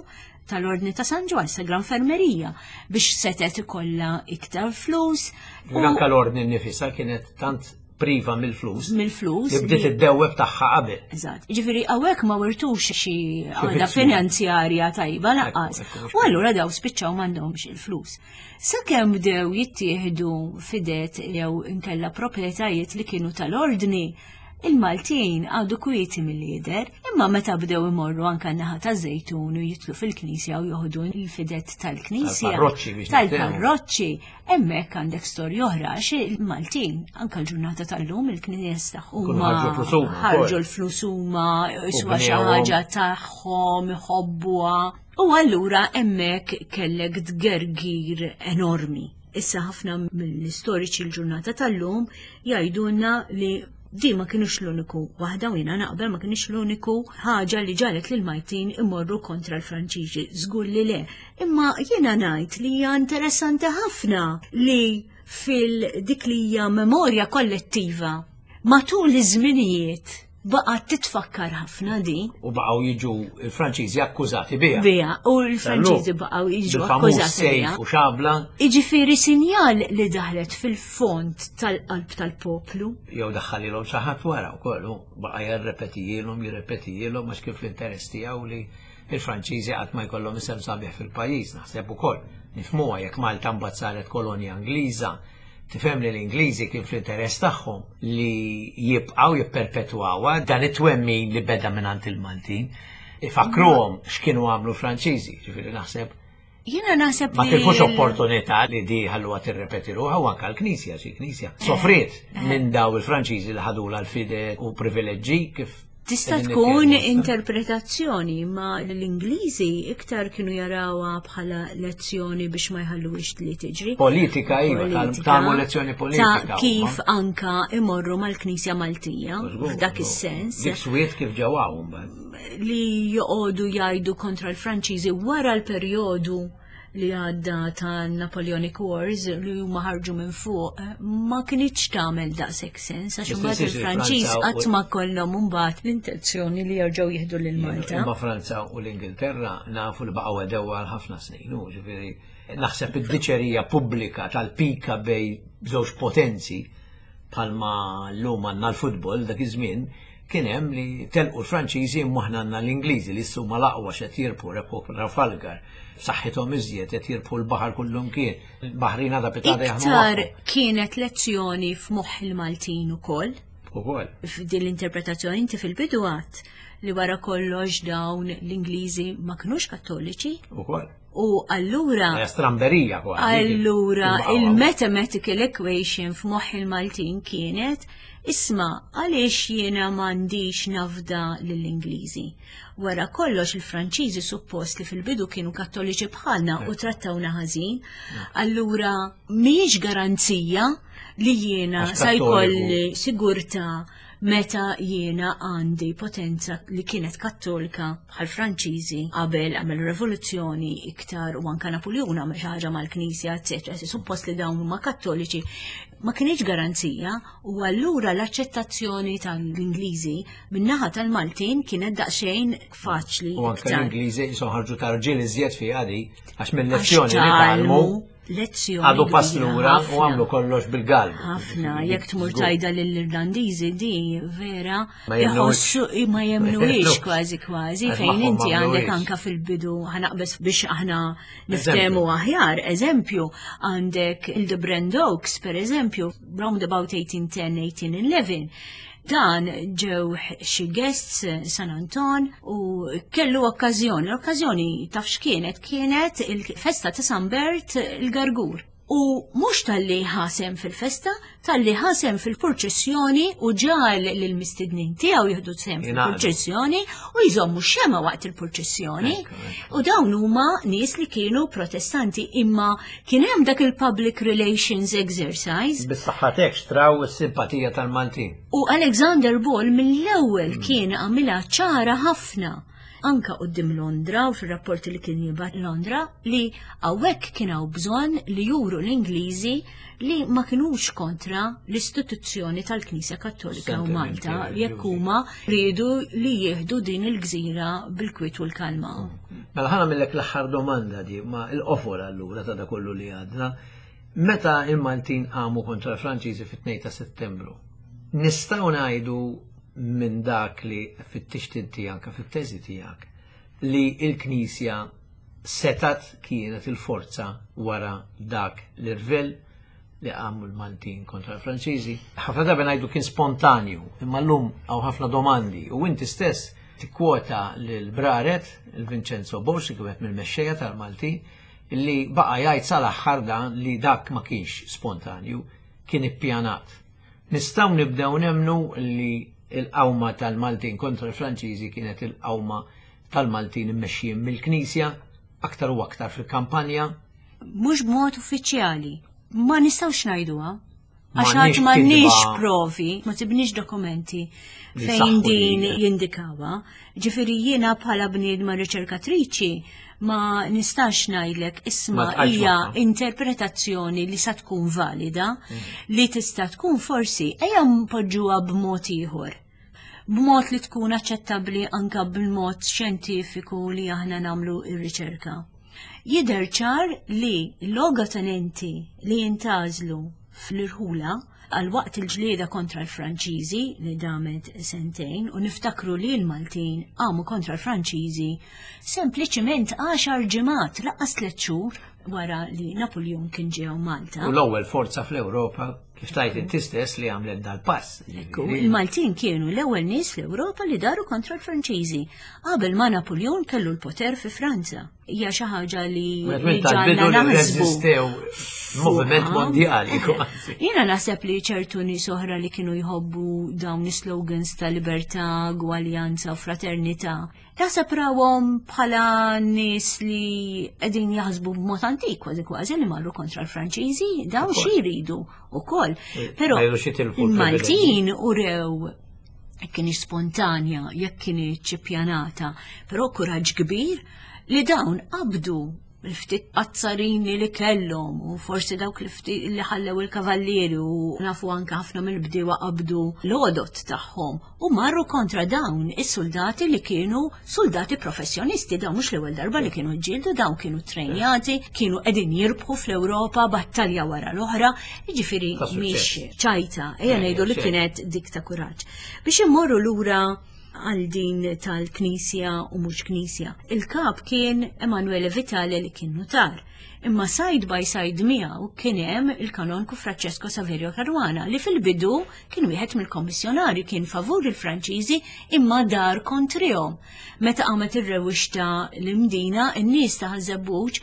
tal-ordni ta' San Ġwann, sa Gran Fermerija, biex setet ikollha iktar flus. U anka l-ordni nnifisha kienet tant priva mill-flus. Mill-flus. Li bdiet id-dewweb tagħha qabel. Eżatt. Ġifieri hawnhekk ma wirtux xi għaqda finanzjarja tajba lanqas. U allura daw spiċċaw m'għandhomx il-flus. Sakemm bdew jittieħdu fidet jew inkella proprjetajiet li kienu tal-ordni, il-Maltin għadu kwieti mill-lider, imma meta bdew imorru anka naħa ta' Żejtun u jitlu fil-knisja u joħdu l-fidet tal-knisja. Tal-parroċċi biex Tal-parroċċi, hemmhekk għandek storja oħra għax il-Maltin anka l-ġurnata tal-lum il-knisja tagħhom ħarġu l-flus huma, iswa xi ħaġa tagħhom, iħobbuha. U allura hemmhekk kellek tgergir enormi. Issa ħafna mill-istoriċi l-ġurnata tal-lum jgħidulna li di ma kienux l-uniku waħda u jiena naqbel ma kienux l-uniku ħaġa li ġalet lil Maltin imorru kontra l-Franċiżi, żgur li le. Imma jiena ngħid li hija interessanti ħafna li fil-dik li hija memorja kollettiva matul iż-żminijiet Baqgħet titfakkar ħafna di. U baqgħu jiġu il-Franċiżi akkużati biha. Biha, u l-Franċiżi baqgħu jiġu akkużati biha. U xabla. Iġifieri sinjal li daħlet fil-fond tal-qalb tal-poplu. Jew daħħalilhom xi ħadd wara wkoll, baqa' jirrepetijilhom, jirrepetijilhom għax kif l-interess tiegħu li il-Franċiżi qatt ma jkollhom isem sabiħ fil-pajjiż, naħseb ukoll. Nifhmuha jekk Malta mbagħad saret kolonja Ingliża. Tifhem li l-Ingliżi kien fl-interess tagħhom li jibqgħu jipperpetwawha dan it-twemmin li beda mingħand il-Maltin. Ifakruhom x'kienu għamlu Franċiżi, ġifieri naħseb. Jiena naħseb ma tilfux opportunità li di ħalluha tirrepeti ruħha, u anke l-Knisja, xi Knisja sofriet minn daw il-Franċiżi li ħadulha l-fide u privileġġi kif Tista' tkun interpretazzjoni, ma l-Ingliżi iktar kienu jarawha bħala lezzjoni biex ma jħalluhiex li tiġri. Politika, iva, tagħmlu lezzjoni politika. Ta' kif anka imorru mal-Knisja Maltija, f'dak is-sens. Dik swiet kif ġew hawn mbagħad. Li joqogħdu jgħidu kontra l-Franċiżi wara l-perjodu li għadda ta' Napoleonic Wars li huma ħarġu minn fuq, ma kinitx tagħmel daqshekk sens għax imbagħad il-Franċiż qatt ma kollhom imbagħad l-intenzjoni li jerġgħu jieħdu lil Malta. Imma Franza u l-Ingilterra nafu li baqgħu għedew għal ħafna snin, u ġifieri naħseb id-diċerija pubblika tal-pika bej żewġ potenzi bħalma llum għandna l-futbol dak iż-żmien kien hemm li telqu l-Franċiżi imma aħna għandna l-Ingliżi li ssuma l-aqwa x'qed jirbħu rebħu Trafalgar. Saħħithom iżjed qed jirbħu l-baħar kullum kien. Il-baħrin għadha pitada jaħdmu. Iktar kienet lezzjoni f'moħħ il-Maltin ukoll. Ukoll. F'din l-interpretazzjoni inti fil-bidu għadt li wara kollox dawn l-Ingliżi ma kinux Kattoliċi. Ukoll. U allura stramberija kważi. Allura il-mathematical equation f'moħħ il-Maltin kienet isma' għaliex jiena m'għandix nafda lill-Ingliżi. Wara kollox il-Franċiżi suppost li fil-bidu kienu Kattoliċi bħalna u trattawna ħażin. Allura mhijiex garanzija li jiena sa jkolli sigurtà meta jiena għandi potenza li kienet kattolika bħal Franċiżi qabel għamel rivoluzzjoni iktar u anka Napoleon għamel xi ħaġa mal-Knisja, eċetera. Suppost li dawn huma kattoliċi ma kienx garanzija, u allura l-aċċettazzjoni tal-Ingliżi min-naħa tal-Maltin kienet daqsxejn faċli. U anke l-Ingliżi jisom ħarġu tarġiel iżjed fi għadi għax mill-lezzjoni li tgħallmu lezzjoni għadu pass lura u għamlu kollox bil-galbu. Ħafna, jekk tmur tajda lill-Irlandiżi di vera jħossu ma jemnuhiex kważi kważi fejn inti għandek anka fil-bidu ħanaqbes biex aħna niftehmu aħjar. Eżempju, għandek il-Brand Oaks per eżempju, round about eighteen ten eighteen eleven. Dan ġew xi guests San Anton u kellu okkażjoni. L-okkażjoni taf x'kienet? Kienet il-festa ta' San Bert il-Gargur. U mhux talli ħasem fil-festa, talli ħasem fil-purċissjoni u ġal lill-mistednin tiegħu jieħdu sehem fil-purċissjoni u jżommu xema waqt il-purċissjoni. U dawn huma nies li kienu protestanti, imma kien hemm dak il-public relations exercise. Bis-saħħa xtraw is-simpatija tal-Maltin. U Alexander Ball mill-ewwel kien għamilha ċara ħafna anka qudiem Londra u fir-rapporti li kien jibgħat Londra li hawnhekk kien hawn bżonn li juru l-Ingliżi li ma kinux kontra l-istituzzjoni tal-Knisja Kattolika u Malta jekk huma riedu li jieħdu din il-gżira bil-kwiet u l-kalma. Mela ħana millek l-aħħar domanda di ma l-qofol allura ta' da kollu li għadna. Meta il-Maltin qamu kontra l-Franċiżi fit-tnejn ta' Settembru, nistgħu ngħidu minn dak li fit-tixtin tiegħek, fit-teżi tiegħek, li l-Knisja setat kienet il-forza wara dak l-irvell li għamlu l-Maltin kontra l-Franċiżi. Ħafna drabi ngħidu kien spontanju, imma llum hawn ħafna domandi u inti stess tikkwota lil Braret, il-Vincenzo Borg, li kienet mill-mexxejja tal-Maltin, li baqa' jgħid sal-aħħar dan li dak ma kienx spontanju, kien ippjanat. Nistgħu nibdew nemnu li il-qawma tal-Maltin kontra l-Franċiżi kienet il-qawma tal-Maltin immexxijin mill-Knisja aktar u aktar fil-kampanja? Mhux b'mod uffiċjali, ma nistgħux ngħiduha. Għax għad m'għandniex provi, ma tibniex dokumenti fejn din jindikawha. Ġifieri jiena bħala bniedma riċerkatriċi ma nistax ngħidlek isma' hija interpretazzjoni li sa tkun valida, li tista' tkun forsi ejja npoġġuha b'mod ieħor. b'mod li tkun aċċettabbli anka bil-mod xjentifiku li aħna nagħmlu ir-riċerka. Jidher ċar li l-logotenenti li jintgħażlu fl-irħula għal waqt il-ġlieda kontra l-Franċiżi li damet sentejn u niftakru li l-Maltin għamu kontra l-Franċiżi sempliċiment għaxar ġimgħat lanqas tliet xhur wara li Napoleon kien ġew Malta. U l-ewwel forza fl-Ewropa kif tajt inti stess li għamlet dal-pass. Ekku, il-Maltin kienu l-ewwel nies fl-Ewropa li daru kontra l-Franċiżi qabel ma Napoleon kellu l-poter fi Franza. Hija xi ħaġa li Wieħed li minn tal-bidu ġalna li naħsbu. reżistew moviment mondjali kważi. Jiena naħseb li ċertu nies oħra li kienu jħobbu dawn is-slogans ta' libertà, gwaljanza u fraternità. Naħseb rawhom bħala nies li qegħdin jaħsbu b'mod antik kważi kważi li marru kontra l-Franċiżi, dawn xi jridu ukoll. Però Ma jridux jitilfu il-Maltin urew jekk kienx spontanja, jekk kienx ippjanata, però kuraġġ kbir li dawn qabdu l-ftit azzarini li kellhom u forsi dawk li ftit li ħallew il-kavallieri u nafu anke ħafna mill-bdiewa qabdu l-għodod tagħhom u marru kontra dawn is-soldati li kienu soldati professjonisti, dawn mhux l-ewwel darba li kienu ġġieldu, dawn kienu trejnjati, kienu qegħdin jirbħu fl-Ewropa battalja wara l-oħra, jiġifieri Ta' suċċess. mhix ċajta, ejja Eh, ngħidu li xejn. kienet dik ta' kuraġġ. Biex immorru lura għal din tal-Knisja u mhux Knisja. Il-kap kien Emanuele Vitale li kien notar. Imma side by side miegħu kien hemm il-kanonku Francesco Saverio Caruana li fil-bidu kien wieħed mill-kommissjonari kien favur il-Franċiżi imma dar kontrihom. Meta qamet ir-rewwixta l-Imdina, in-nies ta' Ħaż-Żebbuġ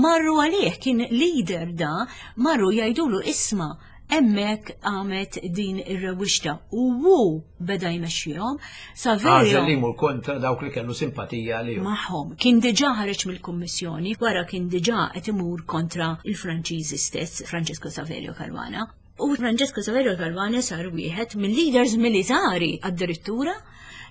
marru għalih kien leader da, marru jgħidulu isma' hemmhekk għamet din ir-rewwixta u hu beda jmexxihom. Saverio Għażel li jmur kontra dawk li kellu simpatija li magħhom kien diġà ħareġ mill-kummissjoni wara kien diġà qed imur kontra il-Franċiżi stess, Francesco Saverio Caruana. U Francesco Saverio Caruana sar wieħed mill-leaders militari addirittura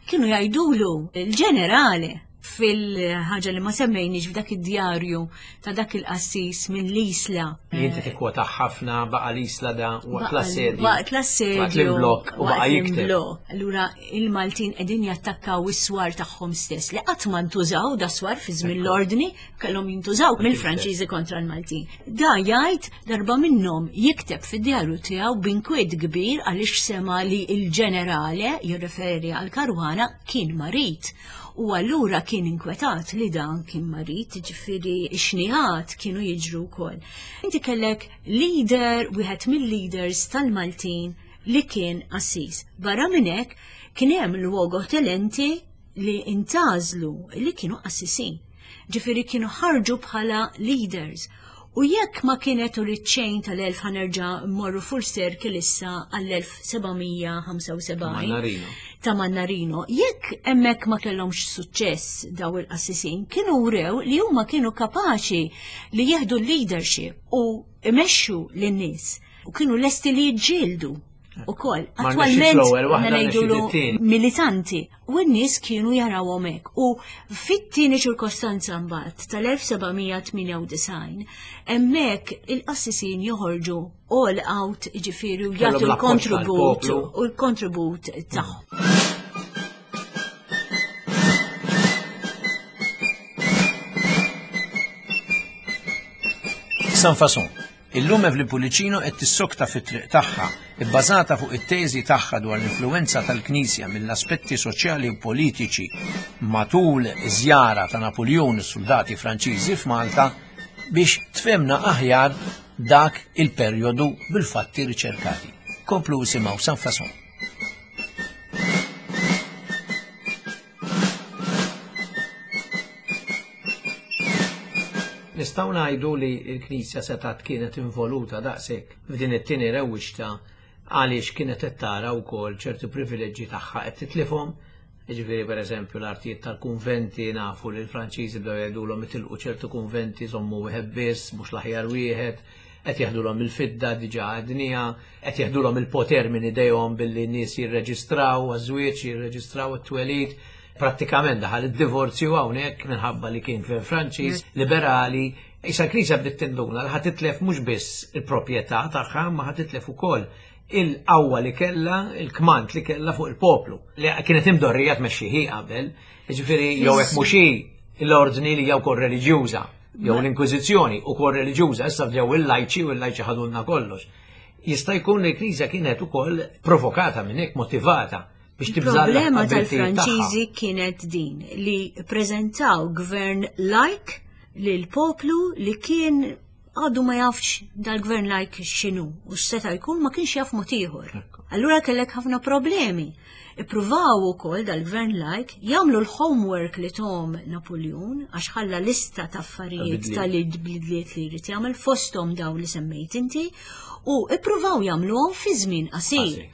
kienu jgħidulu il-ġenerali fil-ħaġa li ma semmejniex f'dak id-djarju ta' dak il-qassis minn l-Isla. Li inti tikkwota ħafna baqa l-Isla da waqt l-assedju. Waqt l-assedju. Waqt l-imblokk u baqa waqt jikteb. l-imblokk. Allura il-Maltin qegħdin jattakkaw is-swar tagħhom stess li qatt ma ntużaw da swar fi żmien l-ordni kellhom jintużaw mill-Franċiżi kontra l-Maltin. Da jgħid darba minnhom jikteb fid-djarju tiegħu b'inkwiet kbir għaliex sema li l-ġenerale jirreferi għal Caruana kien marid. U allura kien inkwetat li dan kien marid, ġifieri xniħat kienu jiġru wkoll. Inti kellek leader, wieħed mill-leaders tal-Maltin li kien qassis. Barra minn hekk kien hemm luogotenenti li intgħażlu li kienu qassisin. Ġifieri kienu ħarġu bħala leaders. U jekk ma kienet u ċejn tal-elf ħa nerġa' mmorru full circle issa għall-elf seba' mija ħamsa u sebgħin Mannarino. ta' Mannarino, jekk hemmhekk ma kellhomx suċċess daw il-qassisin, kienu wrew li huma kienu kapaċi li jieħdu l-leadership u imexxu lin-nies u kienu lesti li jiġġieldu ukoll. Ma Attwalment rnexxietx l-ewwel waħda, aħna ngħidulu rnexxiet it-tieni. militanti u n-nies kienu jarawhom hekk. U fit-tieni ċirkostanza mbagħad tal-elf seba' mija tmienja u disgħin hemmhekk il-qassisin joħorġu all out, ġifieri u Kellhom jagħtu l-appoġġ l-kontribut tal-poplu. u l-kontribut tagħhom. Sans Façon. Illum Evelyn Pullicino qed tissokta fit-triq tagħha, ibbażata fuq it-teżi tagħha dwar l-influenza tal-Knisja mill-aspetti soċjali u politiċi matul iż-żjara ta' Napoleon u soldati Franċiżi f'Malta biex tfehmna aħjar dak il-perjodu bil-fatti riċerkati. Komplu isimgħu Sans Façon. Nistgħu ngħidu li l-Knisja setat kienet involuta daqshekk f'din it-tieni rewwixta għaliex kienet qed tara wkoll ċertu privileġġi tagħha qed titlifhom. Jiġifieri pereżempju l-artijiet tal-kunventi, nafu li l-Franċiżi bdew jgħidulhom itilqu ċertu kunventi, żommu wieħed biss, mhux l-aħjar wieħed, qed jeħdulhom il-fidda diġà għadnija, qed jeħdulhom il-poter minn idejhom billi n-nies jirreġistraw għaż-żwieġ, jirreġistraw it-twelid. Prattikament daħal id-divorzju hawnhekk minħabba li kien gvern Franċiż, liberali. Issa l-Knisja bdiet tinduna li ħa titlef mhux biss il-proprjetà tagħha, ma ħa titlef ukoll il-qawwa li kella, il-kmand li kella fuq il-poplu. Li kienet imdorrija tmexxi hi qabel, jiġifieri jew hekk mhux hi l-ordni li jew kol reliġjuża, jew l-Inkwiżizzjoni ukoll reliġjuża, issa bdew il-lajċi u l-lajċi ħadulna kollox. Jista' jkun li l-Knisja kienet ukoll provokata minn hekk, motivata biex tibżalla Il-problema tal-Franċiżi kienet din li preżentaw gvern lajk lil poplu li kien għadu ma jafx dal-gvern lajk x'inhu u x'seta' jkun, ma kienx jaf mod ieħor. Allura kellek ħafna problemi. Ippruvaw ukoll dal-gvern lajk jagħmlu l-homework li tom Napoleon, għax ħalla lista ta' affarijiet tal-bidliet li jrid jagħmel, fosthom daw li semmejt inti, u ippruvaw jagħmluhom fi żmien qasir.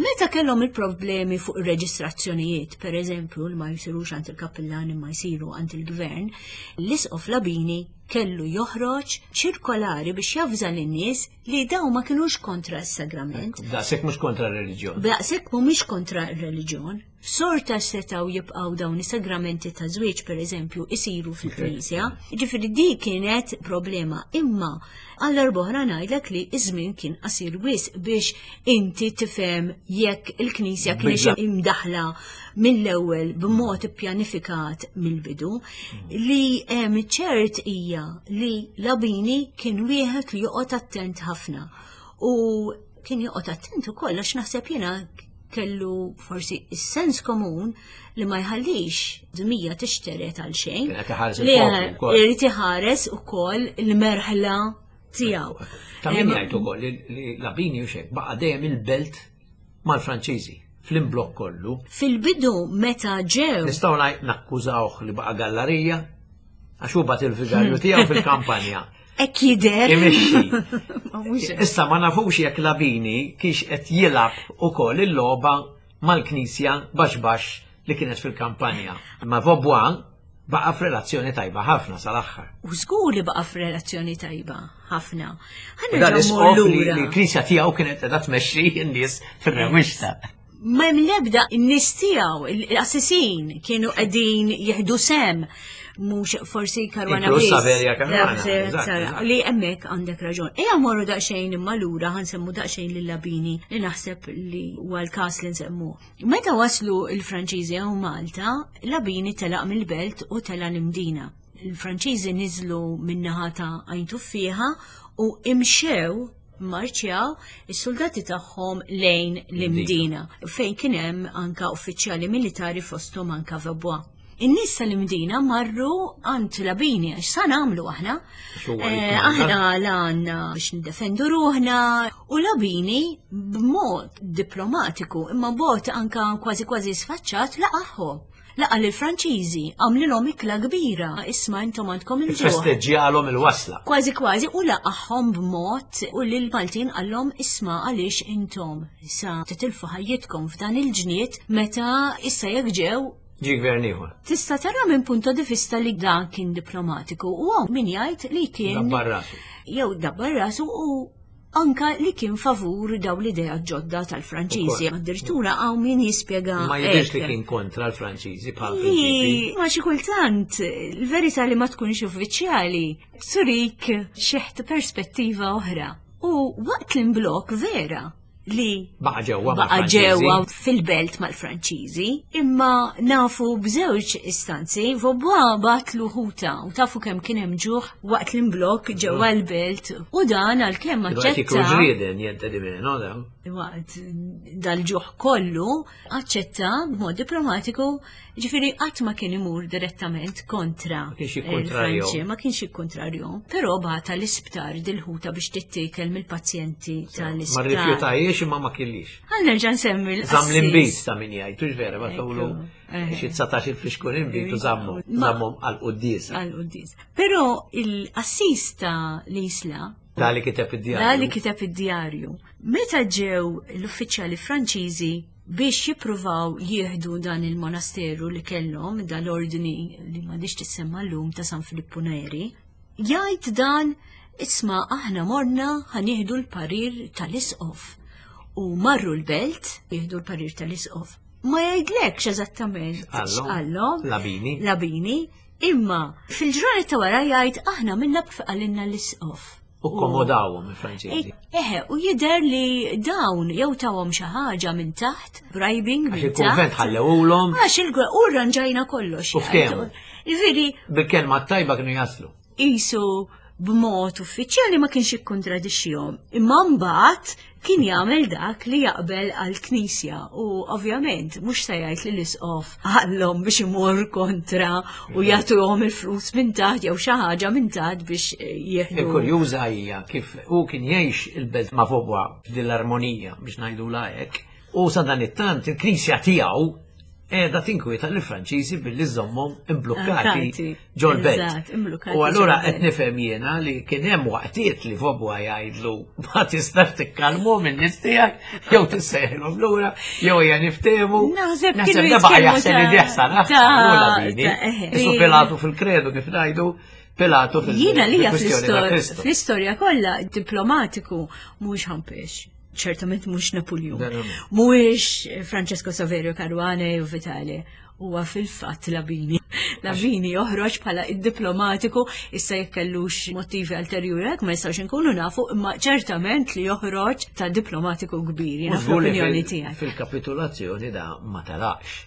Meta kellhom il-problemi fuq ir-reġistrazzjonijiet, per eżempju, li ma jsirux għand il-kappillani ma jsiru għand il-gvern, l-Isqof Labini kellu joħroġ ċirkolari biex javża lin-nies li daw ma kinux kontra s-sagrament. Daqshekk mhux kontra r-reliġjon. Daqshekk mhumiex kontra r-reliġjon. Sorta setgħu jibqgħu dawn is-sagramenti ta' żwieġ, pereżempju, isiru fil-Knisja. Ġifieri di kienet problema, imma għal darb'oħra ngħidlek li iż-żmien kien qasir wisq biex inti tifhem jekk il-Knisja kienx imdaħla mill-ewwel b'mod ippjanifikat mill-bidu. Li hemm ċert hija li Labini kien wieħed li joqgħod attent ħafna, u kien joqgħod attent ukoll għax naħseb jiena kellu forsi is-sens komun li ma jħallix dmija tixteret għal xejn. Li irid iħares ukoll il-merħla tiegħu. Ta' min jgħid ukoll li Labini u xek baqa' dejjem il-belt mal-Franċiżi fl-imblokk kollu. Fil-bidu meta ġew. Nistgħu nakkużawh li baqa' gallarija għax hu bagħat il-vigarju tiegħu fil-kampanja. Hekk jidher. Imexxi. Issa ma nafux jekk Labini kienx qed jilgħab ukoll il-logħba mal-Knisja baxx baxx li kienet fil-kampanja. Ma Vaubois baqa' f'relazzjoni tajba ħafna sal-aħħar. U żgur li baqa' f'relazzjoni tajba ħafna. Dan l-isqof li l-Knisja tiegħu kienet qiegħda tmexxi n-nies fir-rewwixta. Ma hemm l-ebda n-nies tiegħu, l-assissin kienu qegħdin jieħdu sem, mhux forsi Caruana biss. Saveria Caruana. Li hemmhekk għandek raġun. Ejja morru daqsxejn imma lura ħa nsemmu daqsxejn lil Labini li naħseb li huwa l-każ li nsemmu. Meta waslu l-Franċiżi hawn Malta, Labini telaq mill-belt u tela' l-Imdina. Il-Franċiżi niżlu min-naħa ta' Għajn Tuffieħa u imxew, marċjaw is-soldati tagħhom lejn l-Imdina, fejn kien hemm anka uffiċjali militari fosthom anka Vaubois. In-nies tal-Imdina marru għand Labini għax sa nagħmlu aħna. Aħna għandna biex nindefendu ruħna, u Labini b'mod diplomatiku imma b'mod anka kważi kważi sfaċċat laqaħħom. Laqa lill-Franċiżi, għamlilhom ikla kbira, isma' intom għandkom il-ġuħ. Festeġġjalhom il-wasla. Kważi kważi, u laqaħħom b'mod u lill-Maltin qallhom isma' għaliex intom sa titilfu ħajjitkom f'dan il-ġniet meta issa jekk ġew ġi gvern ieħor. Tista' tara minn punto di vista li dan kien diplomatiku u hawn min jgħid li kien dabbar rasu. Jew dabbar rasu u anka li kien favur daw l-idea ġodda tal-Franċiżi. Addirittura hawn min jispjega. Ma jidhirx li kien kontra l-Franċiżi bħal prinċipi. Ma xi kultant il-verità li ma tkunx uffiċjali turik xeħt perspettiva oħra. U waqt l-imblok vera li baqa' ġewwa baqa' ġewwa fil-belt mal-Franċiżi, imma nafu b'żewġ istanzi Vaubois bagħatlu ħuta u tafu kemm kien hemm ġuħ waqt l-imblok ġewwa l-belt, u dan għalkemm aċċetta. Ġrieden jente di meno dawn. Waqt dal-ġuħ kollu aċċetta b'mod diplomatiku, ġifieri qatt ma kien imur direttament kontra. Ma kienx jikkontrarjhom. Ma kienx jikkontrarjhom, però bagħatha l-isptar dil-ħuta biex tittiekel mill-pazjenti tal-isptar. Ma rrifjutajiex imma ma kellix. Għal nerġa' nsemmi l Żamm l-inbid ta' min jgħid, hux vera, ma tawlu xi dsatax il-flixkun inbid u żammhom, żammhom għall-quddiesa. Għall-quddiesa. Però il-qassis ta' l-Isla, Da li kiteb id-djarju. Da li kiteb id-djarju. Meta ġew l-uffiċjali Franċiżi biex jippruvaw jieħdu dan il-monasteru li kellhom, dal-ordni li m'għadix tissemma llum ta' San Filippo Neri, jgħid dan isma' aħna morna ħanieħdu l-parir tal-isqof. U marru l-belt jieħdu l-parir tal-isqof. Ma jgħidlekx eżattament x'qallhom. Labini. Labini. Imma fil-ġranet ta' wara jgħid aħna minna kif qalilna l-isqof. U komodawhom il-Franċiżi. Eħe, u jidher li dawn jew tawhom xi ħaġa minn taħt, bribing Għax minn il-kunvent taħt. ħallewulhom Għax il u rranġajna kollox. U ftehmu. Ġifieri bil-kelma t-tajba kienu jaslu. qisu b'mod uffiċjali ma kienx ikkontradixxihom. Imma mbagħad kien jagħmel dak li jaqbel għall-Knisja u ovvjament mhux se jgħid li l-isqof għallhom biex imur kontra u jagħtuhom il-flus minn taħt jew xi ħaġa minn taħt biex eh, jieħdu. Il-kurjuża hija kif hu kien jgħix il-belt ma' Vaubois f'dil-armonija biex ngħidu hekk. U sa dan it-tant il-Knisja tiegħu qiegħda tinkwieta lill-Franċiżi billi żommhom imblukkati Blokkati. ġol-belt. Eżatt, imblukkati U allura ġol-belt. qed nifhem jiena li kien hemm waqtiet li Vaubois jgħidlu ma tistax tikkalmu minn nies tiegħek jew tissejħilhom lura jew hija niftehmu. Naħseb Naħseb kienu da baqa' jitkellmu jaħseb li ta' diħsar ta' Labini. ta' eħe. Isu Pilatu fil-kredu kif ngħidu Pilatu fil- Jiena li fil-kwistjoni ta' Kristu. fl-istorja kollha diplomatiku mhuwiex ħampex. Ċertament mhux Napoleon. Dan hu. Mhuwiex Francesco Saverio Caruana u Vitale. Huwa fil-fatt Labini. Labini joħroġ bħala id-diplomatiku issa jekk kellux motivi ulterjuri hekk ma jistgħux inkunu nafu, imma ċertament li joħroġ ta' diplomatiku kbir, jiena U żgur li fl-opinjoni fil- tiegħi. Fil-kapitulazzjoni da ma telaqx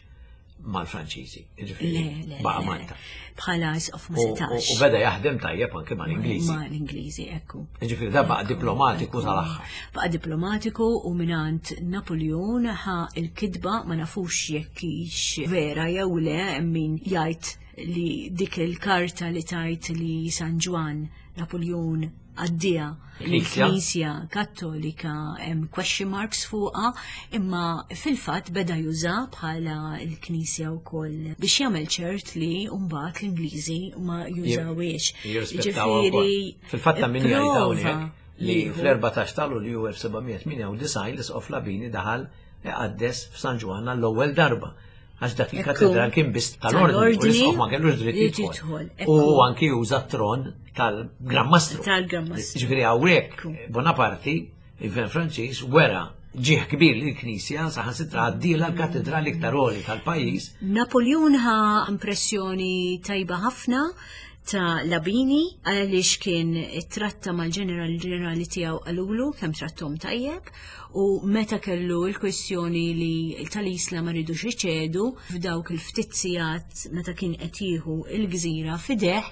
mal-Franċiżi. Ġifieri, Le, le, baqa' le. Malta. Bħala isqof ma U- U setax. u beda jaħdem tajjeb anke mal-Ingliżi. Ma l-Ingliżi, ekku. Ġifieri da baqa' diplomatiku tal-aħħar. Baqa diplomatiku u minant Napoleon ħa il-kidba ma nafux jekk hix vera jew le hemm min jgħid li dik il-karta li tajt li San Ġwann Napoleon għaddija Knisja. l-Knisja Kattolika hemm question marks fuqha, imma fil-fatt beda juża bħala l-Knisja wkoll biex jagħmel ċert li mbagħad l-Ingliżi ma jużawiex. Jirrispettaw ukoll. Ġifieri, Fil-fatt ta' min jgħid prova hawnhekk li jieħu. fl-erbatax ta' Lulju elf seba' mija tmienja u disgħin l-Isqof Labini daħal iqaddes f'San Ġwann l-ewwel darba. Għax dak il-katedral kien biss tal-ordni, u Tal-ordni l-Isqof ma kellux dritt li jidħol. jidħol, U ekku. anki juża t-tron tal-Gran Mastru. Tal-Gran Mastru. Ġifieri hawnhekk Ekku. Bonaparte, il-Gvern Franċiż, wera ġieħ kbir lill-Knisja saħansitra għaddila l-katedral iktar għoli tal-pajjiż. Napoleon ħa impressjoni tajba ħafna ta' Labini għaliex kien tratta mal-ġeneral ġenerali tiegħu qalulu kemm trattom tajjeb u meta kellu l-kwestjoni li tal-Isla ma ridux iċedu f'dawk il-ftit sigħat meta kien qed jieħu il-gżira f'idejh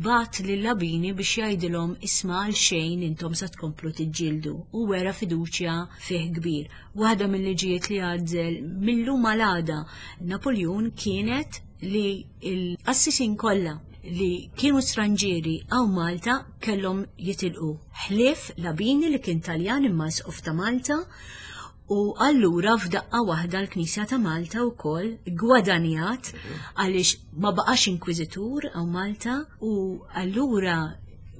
bagħat lil Labini biex jgħidilhom isma' għal xejn intom sa tkomplu tiġġieldu u wera fiduċja fih kbir. Waħda mill-liġijiet li għażel mill-lum għal Napoleon kienet li l-qassisin kollha li kienu stranġieri għaw Malta kellhom jitilqu. Ħlief Labini li kien Taljan imma isqof ta' Malta u allura f'daqqa waħda l-Knisja ta' Malta wkoll gwadanjat għaliex ma baqax inkwiżitur għaw Malta u allura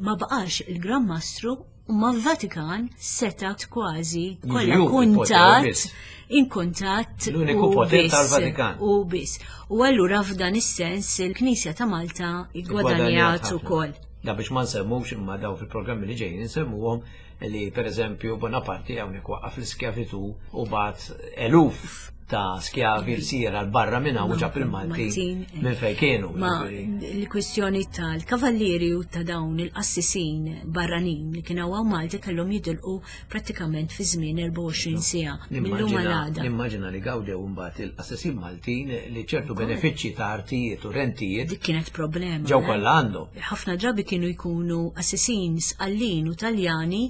ma baqax il-Gran Mastru u ma Vatikan setat kważi kollha Jiġu il-poter kuntat biss. in kuntatt L-uniku u poter biss, tal-Vatikan. U biss. U allura f'dan is-sens il-Knisja ta' Malta gwadanjat ħafna. ukoll. Da biex ma nsemmux imma daw fil-programmi li ġejjin nsemmuhom li per eżempju Bonaparte hawnhekk waqqaf l-iskjavitu u bagħat eluf ta' skjavi l-sira l-barra minn hawn u ġab il-Maltin Maltin, eh. minn fejn kienu. Ma ġifieri. l-kwistjoni tal-kavallieri u ta' dawn il-qassisin barranin li kienu hawn Malta kellhom jitilqu prattikament fi żmien erbgħa u għoxrin siegħa mill-lum Nimmaġina għal għada. nimmaġina li gawdew imbagħad il-qassisin Maltin li ċertu benefiċċji ta' artijiet u rentijiet Dik kienet problema. ġew eh? kollha għandhom. Ħafna drabi kienu jkunu qassisin Sqallin u Taljani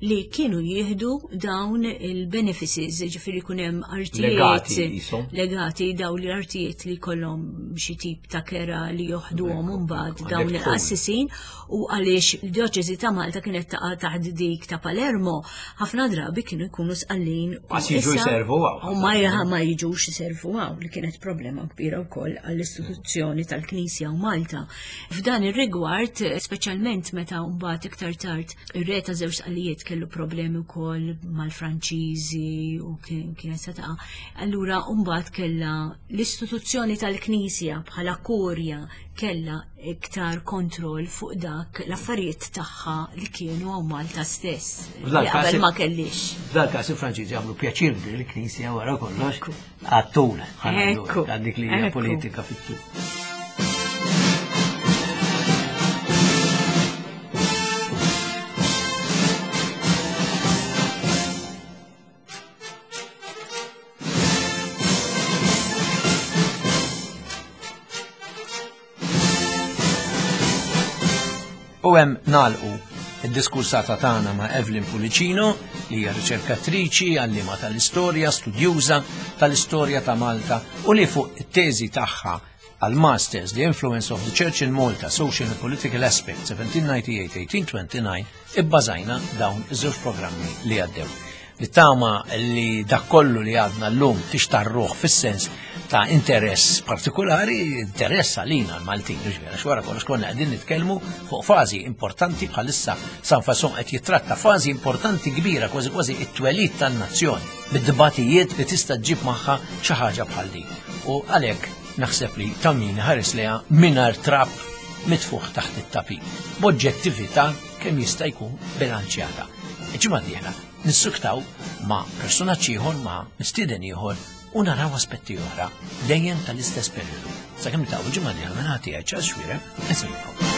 li kienu jieħdu dawn il-benefices, ġifieri jkun hemm artijiet Legati qishom. legati dawn l-artijiet li kollhom xi tip ta' kera li joħduhom imbagħad Ekku, dawn għandek il-qassisin u għaliex il-djoċesi ta' Malta kienet taqa' taħt dik ta' Palermo, ħafna drabi kienu jkunu Sqallin u Għas jiġu issa- jservu hawn. U ma jaha ma jiġux jiservu hawn li kienet problema kbira wkoll għall-istituzzjoni tal-Knisja u Malta. F'dan ir-rigward, speċjalment meta mbagħad iktar tard ir-re ta' żewġ Sqallijiet kellu problemi wkoll mal-Franċiżi u kien- kienet se taqa'. Allura mbagħad kellha l-istituzzjoni tal-Knisja bħala kurja kellha iktar kontroll fuq dak l-affarijiet tagħha li kienu hawn Malta stess. F'dal Li każ qabel ma kellix. F'dal każ il-Franċiżi għamlu pjaċir kbir il-Knisja wara kollox għat-tul, ħa ngħidu Ekku. hekk, għal dik li hija Ekku. politika fit-tul. U hemm nagħlqu id-diskursata tagħna ma' Evelyn Pullicino, li hija riċerkatriċi, għalliema tal-istorja, studjuża tal-istorja ta' Malta u li fuq it-teżi tagħha għal Masters, The Influence of the Church in Malta, Social and Political Aspects, seventeen ninety-eight eighteen twenty-nine, ibbażajna dawn iż-żewġ programmi li għaddew. Nittama li dak kollu li għadna llum tixtarruh fis-sens ta' interess partikolari, interess għalina l-Maltin, ġifieri, wara kollox konna qegħdin nitkellmu fuq fażi importanti. Bħalissa Sans Façon qed jitratta fażi importanti kbira, kważi kważi it-twelid tan-nazzjoni, bid-dibatijiet li tista' ġġib magħha xi ħaġa bħal din. U għalhekk naħseb li ta' min ħares lejha mingħajr trab mitfuħ taħt it-tapit, b'oġġettività kemm jista' jkun bilanċjata. Il-ġimgħa d-dieħla nissuktaw ma' personaġġ ieħor, ma' mistieden ieħor u naraw aspetti oħra dejjem tal-istess periodu. Sakemm niltaqgħu il-ġimgħa d-dieħla, minn ħati għaj Charles Xuereb, insellmilkom.